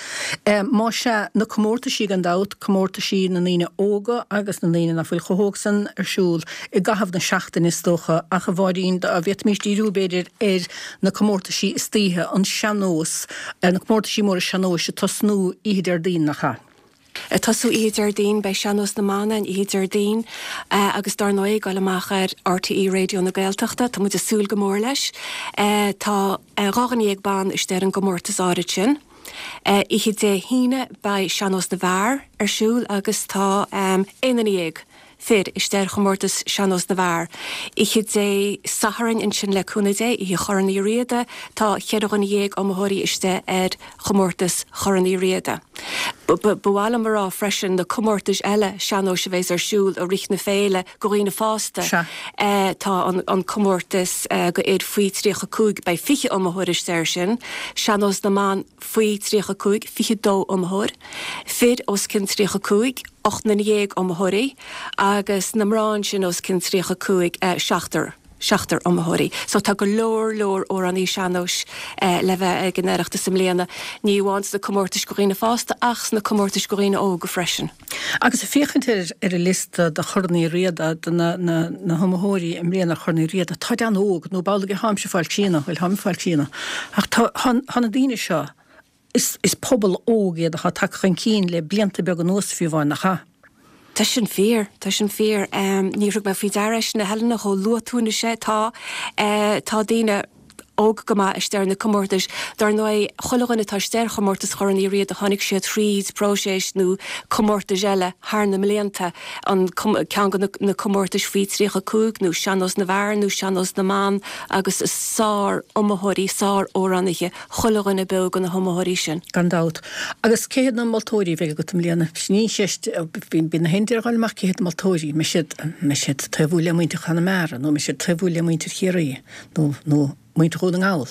Más ea, na comórtaisí gan dabht, comórtaisí na ndaoine óga agus na ndaoine nach bhfuil chomh hóg san ar siúl i gcaitheamh na seachtaine is dócha ach a Mháirín dá bhféadfaimis díriú b'fhéidir ar na comórtaisí istoíche, an sean-nós, na comórtaisí móra sean-nóis ag tosnú oíche Déardaoin, nach ea? Ag tosú oíche Déardaoin, beidh Sean-Nós na mBan ann oíche Déardaoin agus dár ndóigh ag dul amach ar RTÉ Raidió na Gaeltachta, tá muid ag súil go mór leis. Tá 12 dhuine ban istigh ar an gcomórtas áirid sin. Oíche Dé hAoine beidh Sean-Nós na bhFear ar siúl agus tá 11 duine fir istigh ar chomórtas Sean-Nós na bhFear. Oíche Dé Sathairn ansin le cúnamh Dé, Oíche Chorn Uí Riada, tá cheithre dhuine dhéag iomaitheoirí istigh ar chomórtas Chorn Uí Riada. Ba mhaith liom a rá freisin na comórtais eile sean-nóis a bheas ar siúl i rith na féile go dhaoine fásta. Tá an comórtas go fhir faoi 35, beidh 20 iomaitheoir istigh air sin, Sean-Nós na mBan faoi 35, 22 iomaitheoir, fir os cionn 35, 18 nduine iomaitheoirí agus na mná ansin os cionn 35, seachtar, seachtar iomaitheoirí. So tá go leor, leor amhránaí sean-nóis le bheith ag an Oireachtas i mbliana, ní amháin sna comórtais go dhaoine fásta ach sna comórtais go dhaoine óga freisin. Agus ag féachaint ar ar an liosta do Chorn Uí Riada, de na na na hiomaitheoirí i mbliana ar Chorn Uí Riada, táid an-óg, nó b'amhlaidh a tháimse ag fáil críonna, bhuel táim ag fáil críonna, ach tá tá na daoine seo, Is is pobal óg iad atá tagtha chun cinn le blianta beaga anuas fiú amháin, nach ea? Tá sin fíor, tá sin fíor. Níor thug mé faoi deara é sin a Helena, chomh luath tú anois é. Tá, tá daoine. Óg go maith istigh ar na comórtais. Dar ndóigh, chuile dhuine atá istigh ar chomórtas Chorn Uí Riada tháinig siad thríd próiseas nó comórtais eile thar na mblianta, an ceann de na comórtais faoi 35 nó Sean-Nós na bhFear nó Sean-Nós na mBan agus is sár-iomaitheoirí, sár-amhránaithe chuile dhuine beo de na hiomaitheoirí sin. Gan dabht. Agus cé hiad na moltóirí a bheidh agat i mbliana? Sin í an cheist, bíonn na haon duine ag dul amach cé hiad na moltóirí? An mbeidh siad, an mbeidh siad taobhúil le muintir Chonamara nó an mbeidh siad taobhúil le muintir Chiarraí? nó nó muintir Dhún na nGall.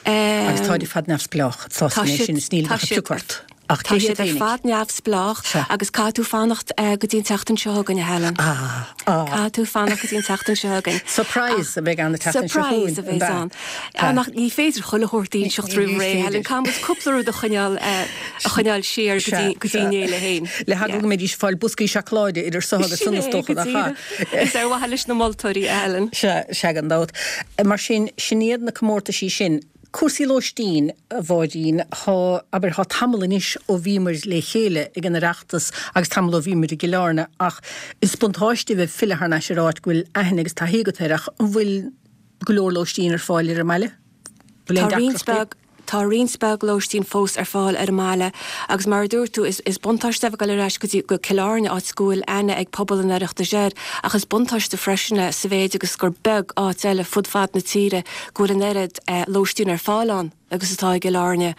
Agus táid ar fad neamhspleách, sásta mé sin is níl ach ag piocadh ort. Ach cé hiad Tá siad ar fad neamhspleách agus caithfidh tú fanacht go dtí an tseachtain seo chugainn, a Helen. Ah, ah. Caithfidh tú fanacht go dtí an tseachtain seo chugainn. Surprise a bheidh ann an tseachtain seo chugainn. Surprise a bheidh ann. Ach ní féidir chuile shórt a inseacht roimh ré, Helen. Caithfidh muid cúpla rud a choinneáil a choinneáil siar go dtí an fhéile féin. Le heagla go mbeidís ag fáil boscaí seacláide idir seo agus san is dócha nach ea. Is ar mhaithe leis na moltóirí, a Helen. Sea, sea, gan dabht. Mar sin, sin iad na comórtaisí sin. Cúrsaí lóistín, a Mháirín, thá, abair, thá tamall anois ó bhíomair le chéile ag an Oireachtas agus tamall ó bhíomair i gCill Airne ach is buntáiste a bheith ag filleadh thar n-ais ar áit go bhfuil aithne agus taithí agat air ach an bhfuil go leor lóistín ar fáil ar an mbaile? Bhfuil aon deacrachtaí? Tá roinnt beag lóistín fós ar fáil ar an mbaile agus mar a dúirt tú, is buntáiste é bheith ag dul ar ais go dtí, go Cill Airne, áit go bhfuil aithne ag pobal an Oireachtais air, ach is buntáiste freisin é sa mhéid agus gur beag áit eile fud fad na tíre go bhfuil an oiread lóistín ar fáil ann agus atá i gCill Airne.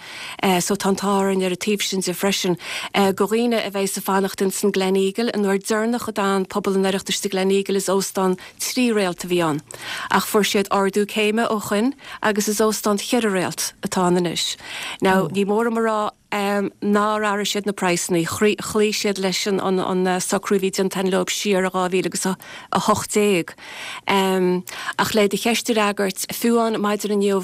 So tá an t-ádh orainn ar an taobh sin de freisin. Do dhaoine a bheidh ag fanacht ins an Gleneagle, an uair deireanach a d'fhan pobal an Oireachtais sa Gleneagle is óstán 3 réalt a bhí ann, ach fuair siad ardú céime ó shoin agus is óstán cheithre réalt atá ann anois. Now, ní mór dom a rá nár athraigh siad na praghsanna, chloígh siad leis an socrú a bhí déanta leo siar i 2018. Ach le do cheist a fhreagairt, fiú amháin maidin inniu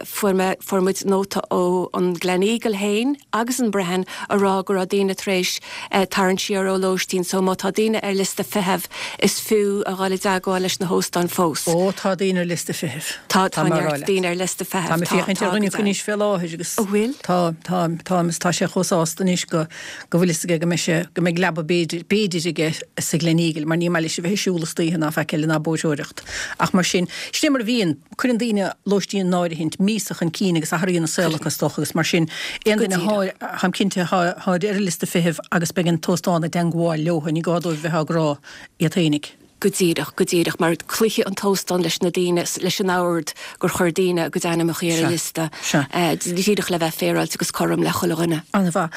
fuair mé, fuair muid nóta ó an Gleneagle féin agus an Brehon a rá go raibh daoine tar éis tarraingt siar ó lóistín so má tá daoine ar liosta feithimh is fiú a dhul i dteagmháil leis na hóstáin fós. Ó tá daoine ar liosta feithimh. Tá, tá neart daoine ar liosta feithimh. Táim ag féachaint ar dhuine acu anois fé láthair agus. An bhfuil? Tá, tá, tá agus tá sé chomh sásta anois go, go bhfuil fhios aige go mbeidh sé, go mbeidh leaba b'fhéidir, b'fhéidir aige sa Gleneagle mar ní maith leis a bheith ag siúl istoíche ná faic eile ná bóithreoireacht. Ach mar sin, sin é mar a bhíonn. Cuireann daoine lóistín in áirithint míosa chun cinn agus athraíonn a saol acu is dócha agus mar sin, aon duine atá, táim cinnte, atá ar an liosta feithimh agus beidh an t-óstán i dteangmháil leo, ní gá dóibh bheith á gcrá iad fhéinig. Go díreach, go díreach, mar cloífidh an t-óstán leis na daoine, leis an ord gur chuir daoine a gcuid ainmneacha ar an liosta, díreach le bheith féaráilte agus cothrom le chuile dhuine. An-mhaith.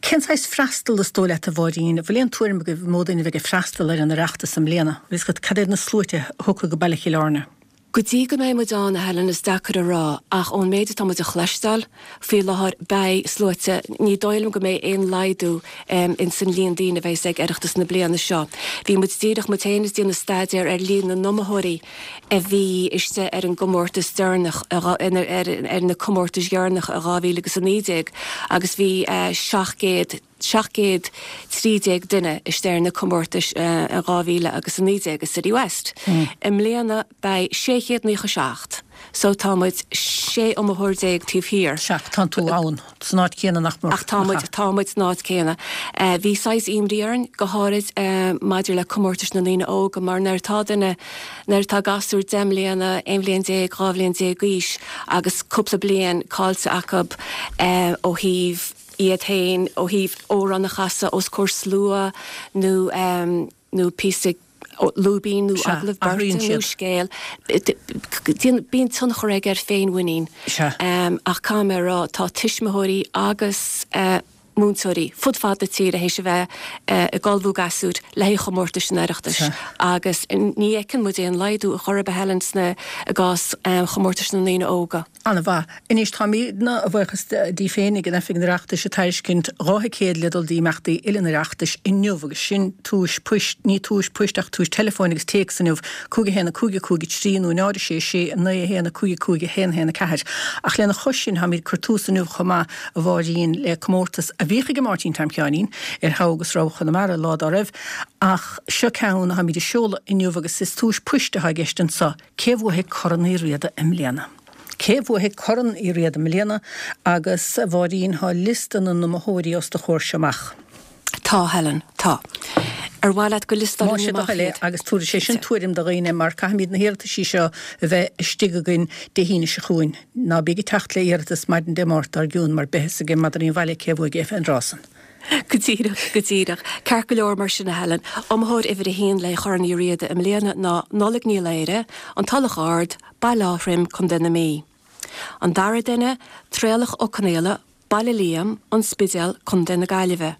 Cén saghas freastal is dóigh leat, a Mháirín? An bhfuil aon tuairim agaibh an mó duine a bheidh ag freastal ar an Oireachtas i mbliana? Bhfuil fhios agat cad iad na sluaite a thiocfaidh go baile Chill Airne? Go dtí go mbeidh muid ann, a Helen, is deacair a rá, ach ón méid atá muid a chloisteáil faoi láthair, beidh sluaite, ní dóigh liom go mbeidh aon laghdú ins an líon daoine a bheas ag Oireachtas na bliana seo. Bhí muid díreach, muid féin, ag déanamh staidéar ar líon na n-iomaitheoirí a bhí istigh ar an gcomórtas deireanach, ar na comórtais dheireanacha i 2019 agus bhí 700, 713 duine istigh ar na comórtais in 2019 i City West. I mbliana beidh 697 so tá muid 16 iomaitheoir taobh thiar. Sea, tánn tú ann, san áit chéanna nach mór. Ach tá muid, tá muid san áit chéanna. Bhí saghas imní orainn, go háirid maidir le comórtais na ndaoine óga mar nuair atá duine, nuair atá gasúr 10 mbliana, 11 bhliain, 12 bhliain d'aois agus cúpla bliain caillte acu ó thaobh, iad féin ó thaobh amhrán a chasadh os comhair slua nó nó píosa lúibín nó agallamh beirte nó scéal. Bíonn tionchar aige ar féinmhuinín. Ach caithfidh mé a rá, tá tuismitheoirí agus múinteoirí fud fad na tíre théis a bheith ag ullmhú gasúir le haghaidh chomórtais an Oireachtais agus ní fheiceann muid aon laghdú ar chor ar bith, Helen, sna i gcás chomórtais na ndaoine óga. An-mhaith. Anois, táimidne, a bhuíochas Dé féin, ag an Oifig an Oireachtais ag tairiscint 2 thicéad le dul d'imeachtaí uile an Oireachtais inniu agus sin tomhais poist, ní tomhais poist ach tomhais teileafóin agus téacs inniu, 5 1 5 5 3 nó 0 6 6 9 1 5 5 1 1 4. Ach lena chois sin, táimid ag cur tús inniu chomh maith, a Mháirín, le comórtas a bhíodh ag Máirtín Tom Sheáinín ar Thogha agus Rogha Chonamara lá dá raibh ach seo ceann atáimid a seoladh inniu agus is tomhais poist atá i gceist anseo. Cé bhuafaidh Corn Uí Riada i mbliana? Cé bhuafaidh Corn Uí Riada i mbliana? Agus, a Mháirín, thá liosta na n-iomaitheoirí os do chomhair seo amach. Tá, Helen, tá. Ar mhaith leat go liostálfainn Más é do amach thoil é iad? agus tabharfaidh sé sin tuairim do dhaoine mar caithfimid na hiarrataisí seo a bheith istigh againn Dé hAoine seo chugainn. Ná bíg ag teacht le iarratas maidin Dé Máirt dár gcionn mar beidh fhios ag madraí an bhaile cé a bhuaigh an rás san. Go díreach, go díreach. Ceart go leor mar sin a Helen. Iomaitheoir uimhir a haon le Corn Uí Riada i mbliana ná Nollaig Ní Laoire, An Tulach Ard, Baile Átha Troim, Contae na Mí. An dara duine, Traolach Ó Conaola, Baile Liam, An Spidéal, Contae na Gaillimhe.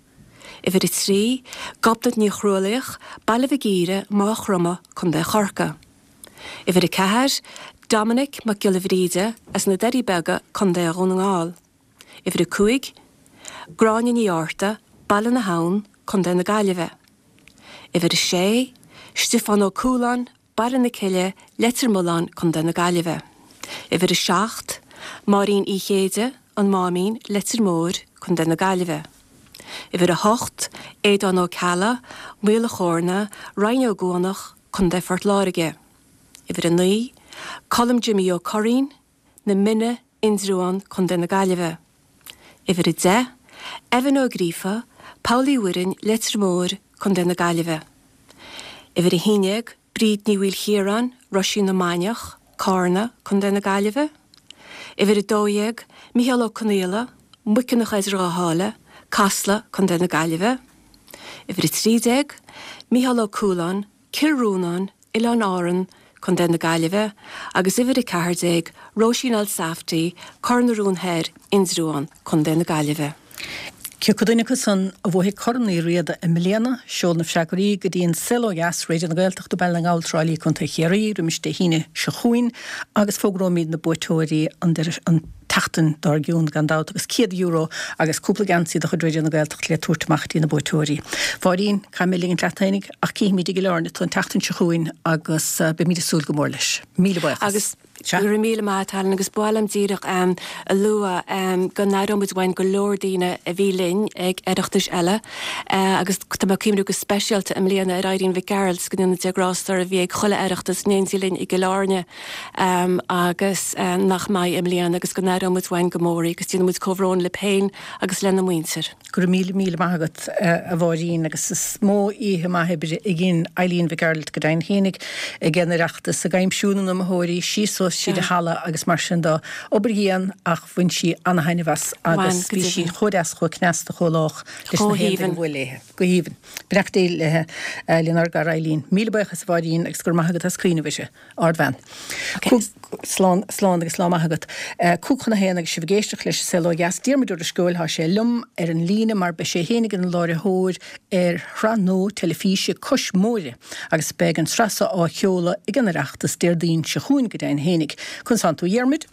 Uimhir 3, Gobnait Ní Chrualaoich, Baile Mhig Íre, Maigh Chromtha, Contae Chorcaí. Uimhir 4, Dominic Mac Giolla Bhríde, as na Doirí Beaga, Contae Dhún na nGall. Uimhir 5, Gráinne Ní Fhátharta, Baile na hAbhann, Contae na Gaillimhe. Uimhir 6, Stiofán Ó Cualáin, Baile na Cille, Leitir Mealláin, Contae na Gaillimhe. Uimhir 7, Máirín Uí Chéide, An Máimín, Leitir Móir, Contae na Gaillimhe. Uimhir 8, Aodán Ó Ceallaigh, Maol a' Chóirne, Rinn Ó gCuanach, Contae Phort Láirge. Uimhir 9, Colm Jimí Ó Curraoin, Na Minna, Indreabhán, Contae na Gaillimhe. Uimhir 10, Evan Ó Gríofa, Poll Uí Mhuirinn, Leitir Móir, Contae na Gaillimhe. Uimhir 11, Bríd Ní Mhaoilchiaráin, Roisín na Mainiach, Cárna, Contae na Gaillimhe. Uimhir 12, Micheál Ó Conaola, Muiceanach Eidir Dhá Sháile, Casla, Contae na Gaillimhe. Uimhir 13, Micheál Ó Cualáin, Cill Rónáin, Oileáin Árann, Contae na Gaillimhe, agus uimhir 14, Róisín Elsafty, Cor na Rún Thoir, Indreabhán, Contae na Gaillimhe. Cé acu duine acu san a bhuafaidh Corn Uí Riada i mbliana? Seol na freagraí go dtí An Saol Ó Dheas, Raidió na Gaeltachta, Baile na nGall, Trá Lí, Contae Chiarraí, roimis Dé hAoine seo chugainn agus fógróimid na buaiteoirí an deireadh tseachtain dár gcionn gan dabht agus €100 agus cúpla geansaí de chuid Raidió na Gaeltachta le tabhairt amach dtí na buaiteoirí. A Mháirín, caithfidh mé ligint leat fhéinig ach cífimid i gCill Airne tú an tseachtain seo chugainn agus beimid ag súil go mór leis. Míle buíochas. Agus go raibh míle maith a't Helen agus ba mhaith liom díreach a lua go n-aireoidh muid uainn go leor daoine a bhí linn ag Oireachtais eile agus tá mé ag cuimhniú go speisialta i mbliana ar Irene Mhic Gearailt go ndéana Dia grásta uirthi a bhí ag chuile Oireachtas in éindí linn i gCill Airne agus nach mbeidh i mbliana agus go n-aireoidh muid uainn go mór í agus déanann muid comhbhrón libh féin agus lena muintir. Go raibh míle míle maith agat a Mháirín agus is mó oíche maith oibre a dhein Eileen Mhic Gearailt go deimhin fhéinig ag an Oireachtas ag aimsiú na n-iomaitheoirí síos suas tríd an halla agus mar sin de. Obair dhian ach bhain sí ana-thaitneamh as agus bhí sí chomh deas chomh cneasta chomh lách leis na haon duine a bhuail léi. Go haoibhinn. Beannacht Dé léi, lenár gcara Eileen. Míle buíochas a Mháirín agus go raibh maith agat as cuimhneamh uirthi. Ardbhean. Slán, slán agus lá maith agat. 12:55 agus sibh ag éisteacht leis An Saol Ó Dheas. Diarmuid Ó Drisceoil, tá sé liom ar an líne mar beidh sé fhéinig ina láithreoir ar shraith nua teilifíse Cois Móire agus beidh an tsraith seo á sheoladh ag an Oireachtas Déardaoin seo chugainn go deimhin fhéinig. Conas tánn tú a Dhiarmuid?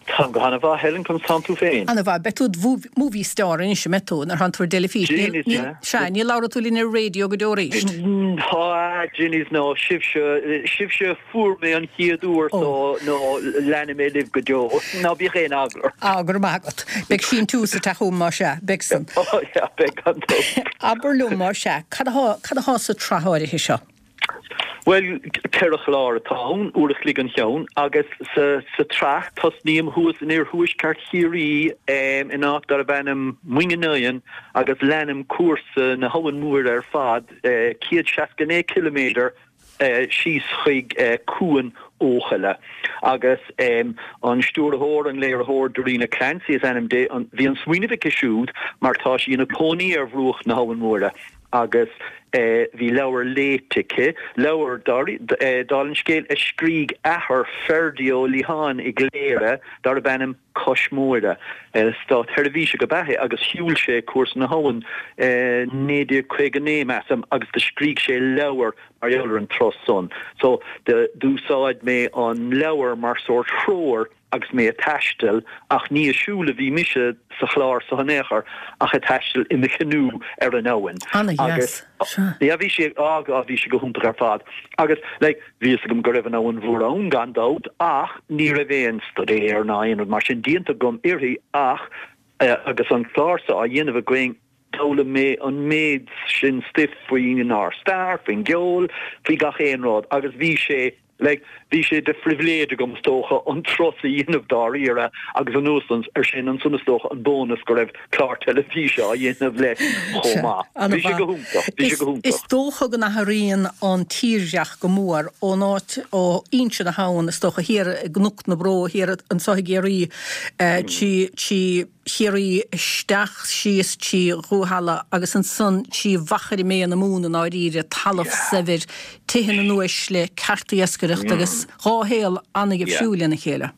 Táim go han-mhaith, Helen, conas tánn tú féin? An-mhaith. Beidh tú id movie star anois, an mbeidh tú, nuair thánn tú ar dteilifís? Níl, níl, sea, ní labhróidh tú linn ar an raidió go deo arís. Tá, Ginnies, no, sibhse, sibhse a fuair mé an chéad uair so, no, leanfaidh mé libh go deo. Ná bíodh aon eagla ort. Á, go raibh maith agat. Beidh síntiús ag teacht chugam más ea, beidh san. Ó, yeah, beidh gan dabht. Abair liom más ea, cad athá, cad athá sa tsraith áirithe seo? Bhuel, 4 chlár atá ann, uair a chloig an cheann, agus sa tsraith, tosnaím thuas in iarthuaisceart Chiarraí in áit darbh ainm Muing an Oigheann agus leanaim cúrsa na hAbhann Móire ar fad, 169 ciliméadar síos chuig Cuan Eochaille. Agus an stiúrthóir, an léiritheoir, Darina Clancy is ainm di, bhí an smaoineamh aici siúd mar tá sí ina cónaí ar bhruach na hAbhann Móire. agus bhí leabhar léite aici, leabhar, dála an scéil, a scrígh athair Ferdie Ó Liatháin i gCléire, darbh ainm Cois Móire. Státsheirbhíseach ab ea é agus shiúil sé cúrsa na habhann i 1959, measaim, agus do scrígh sé leabhar mar gheall ar an turas san. So, d'úsáid mé an leabhar mar sórt threoir agus mé ag taisteal, ach ní ag siúl a bhí mise sa chlár so in aon chor, ach ag taisteal i mo chanú ar an abhainn. Ana-dheas, sea. Yeah, bhí sé, á, bhí sé go hiontach ar fad. Agus, like, bhí fhios agam go raibh an Abhainn Mhór ann, gan dabht, ach ní raibh aon staidéar ná aon rud mar sin déanta agam uirthi, ach agus an clár so á dhéanamh againn, d'fhoghlaim mé an méid sin stuif faoinár stair, faoin gceol, faoi gach aon rud, agus bhí sé. Like, bhí sé de phribhléid agam, is dócha, an turas a dhéanamh dáiríre agus anuas air sin, ansan is dócha an bónas go raibh clár teilifíse á dhéanamh leis chomh maith. Bhí sé go hiontach, bhí sé go hiontach. Is dócha go n-athraíonn an tírdhreach go mór ón áit, ó fhoinse na habhann, is dócha, thiar i gCnoc na Bró, thiar anso i gCiarraí, trí Chiarraí isteach síos trí Dhúshaile agus ansan trí Mhachaire Méith na Mumhan i ndáiríre, talamh saibhir, tithe na n-uaisle, cearta iascaireachta agus dhá shaol an-dhifriúil lena chéile.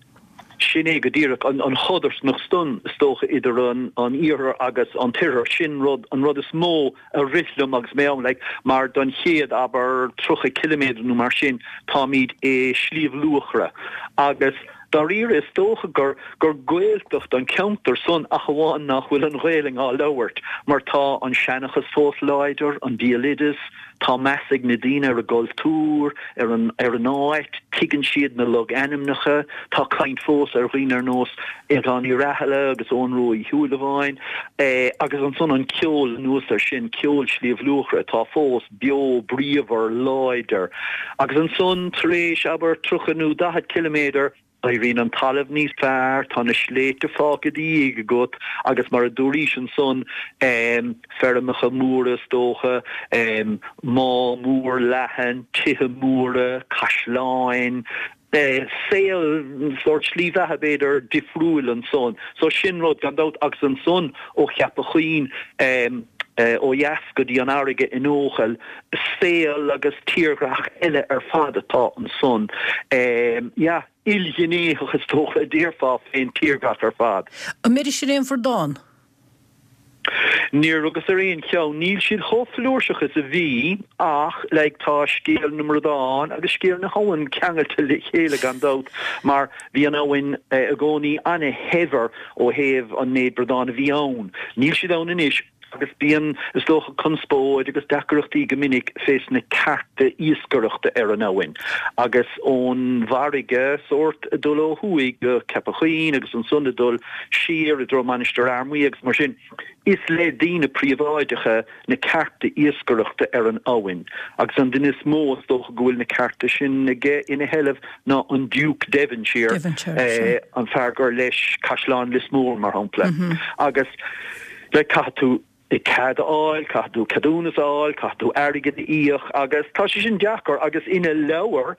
Sin é go díreach an chodarsnacht san, is dócha, idir an iarthar agus an t-oirthear. Sin rud, an rud is mó a rith liom agus mé ann, like, mar don chéad, abair, 30 ciliméadar nó mar sin, táimid i Sliabh Luachra agus dáiríre is dócha gur, gur Gaeltacht an ceantar san ach amháin nach bhfuil an Ghaelainn á labhairt mar tá an seanchas fós láidir, an béaloideas, Tá meas ag na daoine ar a gcultúr, ar an ar an áit, tuigeann siad na logainmneacha, tá caint fós ar dhaoine ar nós Aodhán Uí Rathaille agus Eoghan Rua Uí Shúilleabháin, agus ansan an ceol anuas air sin, ceol Shliabh Luachra atá fós beo, bríomhar, láidir. Agus ansan tar éis, abair, 30 nó 40 ciliméadar, Éiríonn an talamh níos fearr, tá na sléibhte fágtha i do dhiaidh agat agus mar a dúraís ansan, feirmeacha móra is dócha, má mór leathan, tithe móra, caisleáin, saol, sórt slí bheatha b'fhéidir, difriúil ansan. So sin rud gan dabht agus ansan ó Cheapach Chuinn ó dheas go dtí an fharraige in Eochaill, saol agus tírdhreach eile ar fad atá ansan. Yeah, ilghnéitheach is dócha a déarfá fén tírdhreach ar fad. An mbeiris ar aon bhradán? Níor rugas ar aon cheann. Níl siad chomh flúirseach is a bhí ach like tá scéal na mbradán agus scéal na habhann ceangailte le chéile gan dabht mar bhí an abhainn i gcónaí ana-shaibhir ó thaobh an méid bradán a bhí ann. Níl siad ann anois Agus bíonn, is dócha, conspóid agus deacaireachtaí go minic fés na cearta iascaireachta ar an abhainn. Agus ón bhfarraige, sórt, ag dul ó thuaidh go Ceapach Chuinn agus ansan ag dul siar i dtreo Mainistir Fhear Maí agus mar sin, is le daoine príobháideacha na cearta iascaireachta ar an abhainn. Agus an duine is mó, is dócha, go bhfuil na cearta sin aige ina sheilbh ná an Duke Devonshire, an fear gur leis Caisleán Lios Mór, mar shampla. Agus. Like caithfidh tú cead a fháil, caithfidh tú ceadúnas a fháil, caithfidh tú airgead a íoc agus tá sé sin deacair agus ina leabhar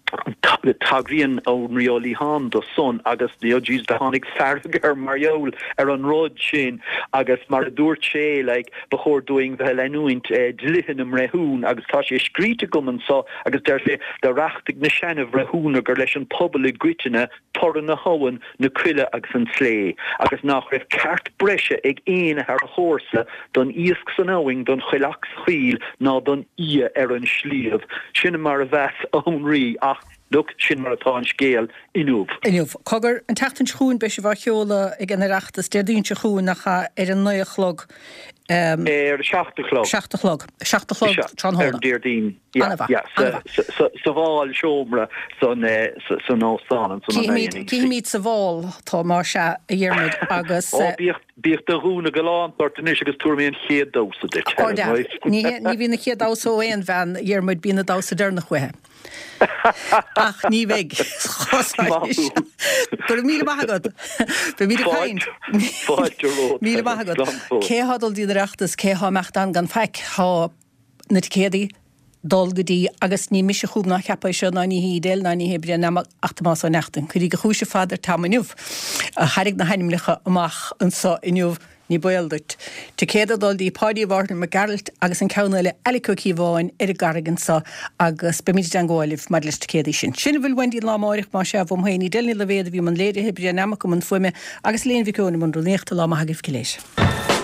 tagraíonn Anraí Ó Liatháin do san agus you know jeez do tháinig fearg air mar gheall ar an rud sin agus mar a dúirt sé like ba chóir dúinn bheith ag leanúint dlíthe na mbreithiún agus tá sé scríte agam anso agus deir sé do reachtaigh na seana-bhreithiúna gur leis an pobal i gcoitinne toradh na habhann, na coille agus an tslé, agus nach raibh ceart breise ag éinne thar a chomharsa don iasc san abhainn, don choileach sa choill ná don fhia ar an sliabh. Sin mar a mheas Anraí, ach, look, sin mar atá an scéal inniu. Inniu. Cogar, an tseachtain seo chugainn beidh sibh á sheoladh ag an Oireachtas, Déardaoin seo chugainn, nach ea, ar a naoi a chlog. Ar a seacht a chlog. Seacht a chlog. Seacht a chlog tráthnóna. Ar an Déardaoin. Sa bhálseomra san óstán ansan an INEC. Cífimid sa bhál tú más ea, a Dhiarmuid, agus. Ó, bíodh do ghúna galánta ort anois agus tabharfaidh mé an chéad damhsa duit. Ó, ní bhíonn an chéad damhsa ó aon bhean, a Dhiarmuid, bíonn an damhsa deireanach uaithi. Ach ní bheidh. Maith thú. Go raibh míle maith agat. Beimid ag caint. Fáilte romhat. Míle maith agat. Cé thá ag dul dtí an Oireachtas, cé thá imeacht ann gan faic, thá na ticéadaí dul go dtí agus ní mise a chum ná cheap é seo ná ní hí Edel ná ní hé Brian Nammock ach Tomás Ó Neachtain. Cuirigí chúis ar fad ar Tom inniu a thairg na hainmneacha amach anso inniu. Ní baol duit. Ticéad ag dul dtí Páidí Mhárthain Mac Gearailt agus an ceann eile Alec Ó Cíobháin ar an gCarraig anso agus beimid i dteangmháil libh maidir leis na ticéadaí sin. Sin a bhfuil uainn dtí an lá amáireach, más ea, uaim féin, Edel Ní Loibhéad a bhí i mbun léirithe, Brian Nammock i mbun fuaime agus Elaine Mhic Eoin i mbun rúnaíochta. Lá maith agaibh go léir.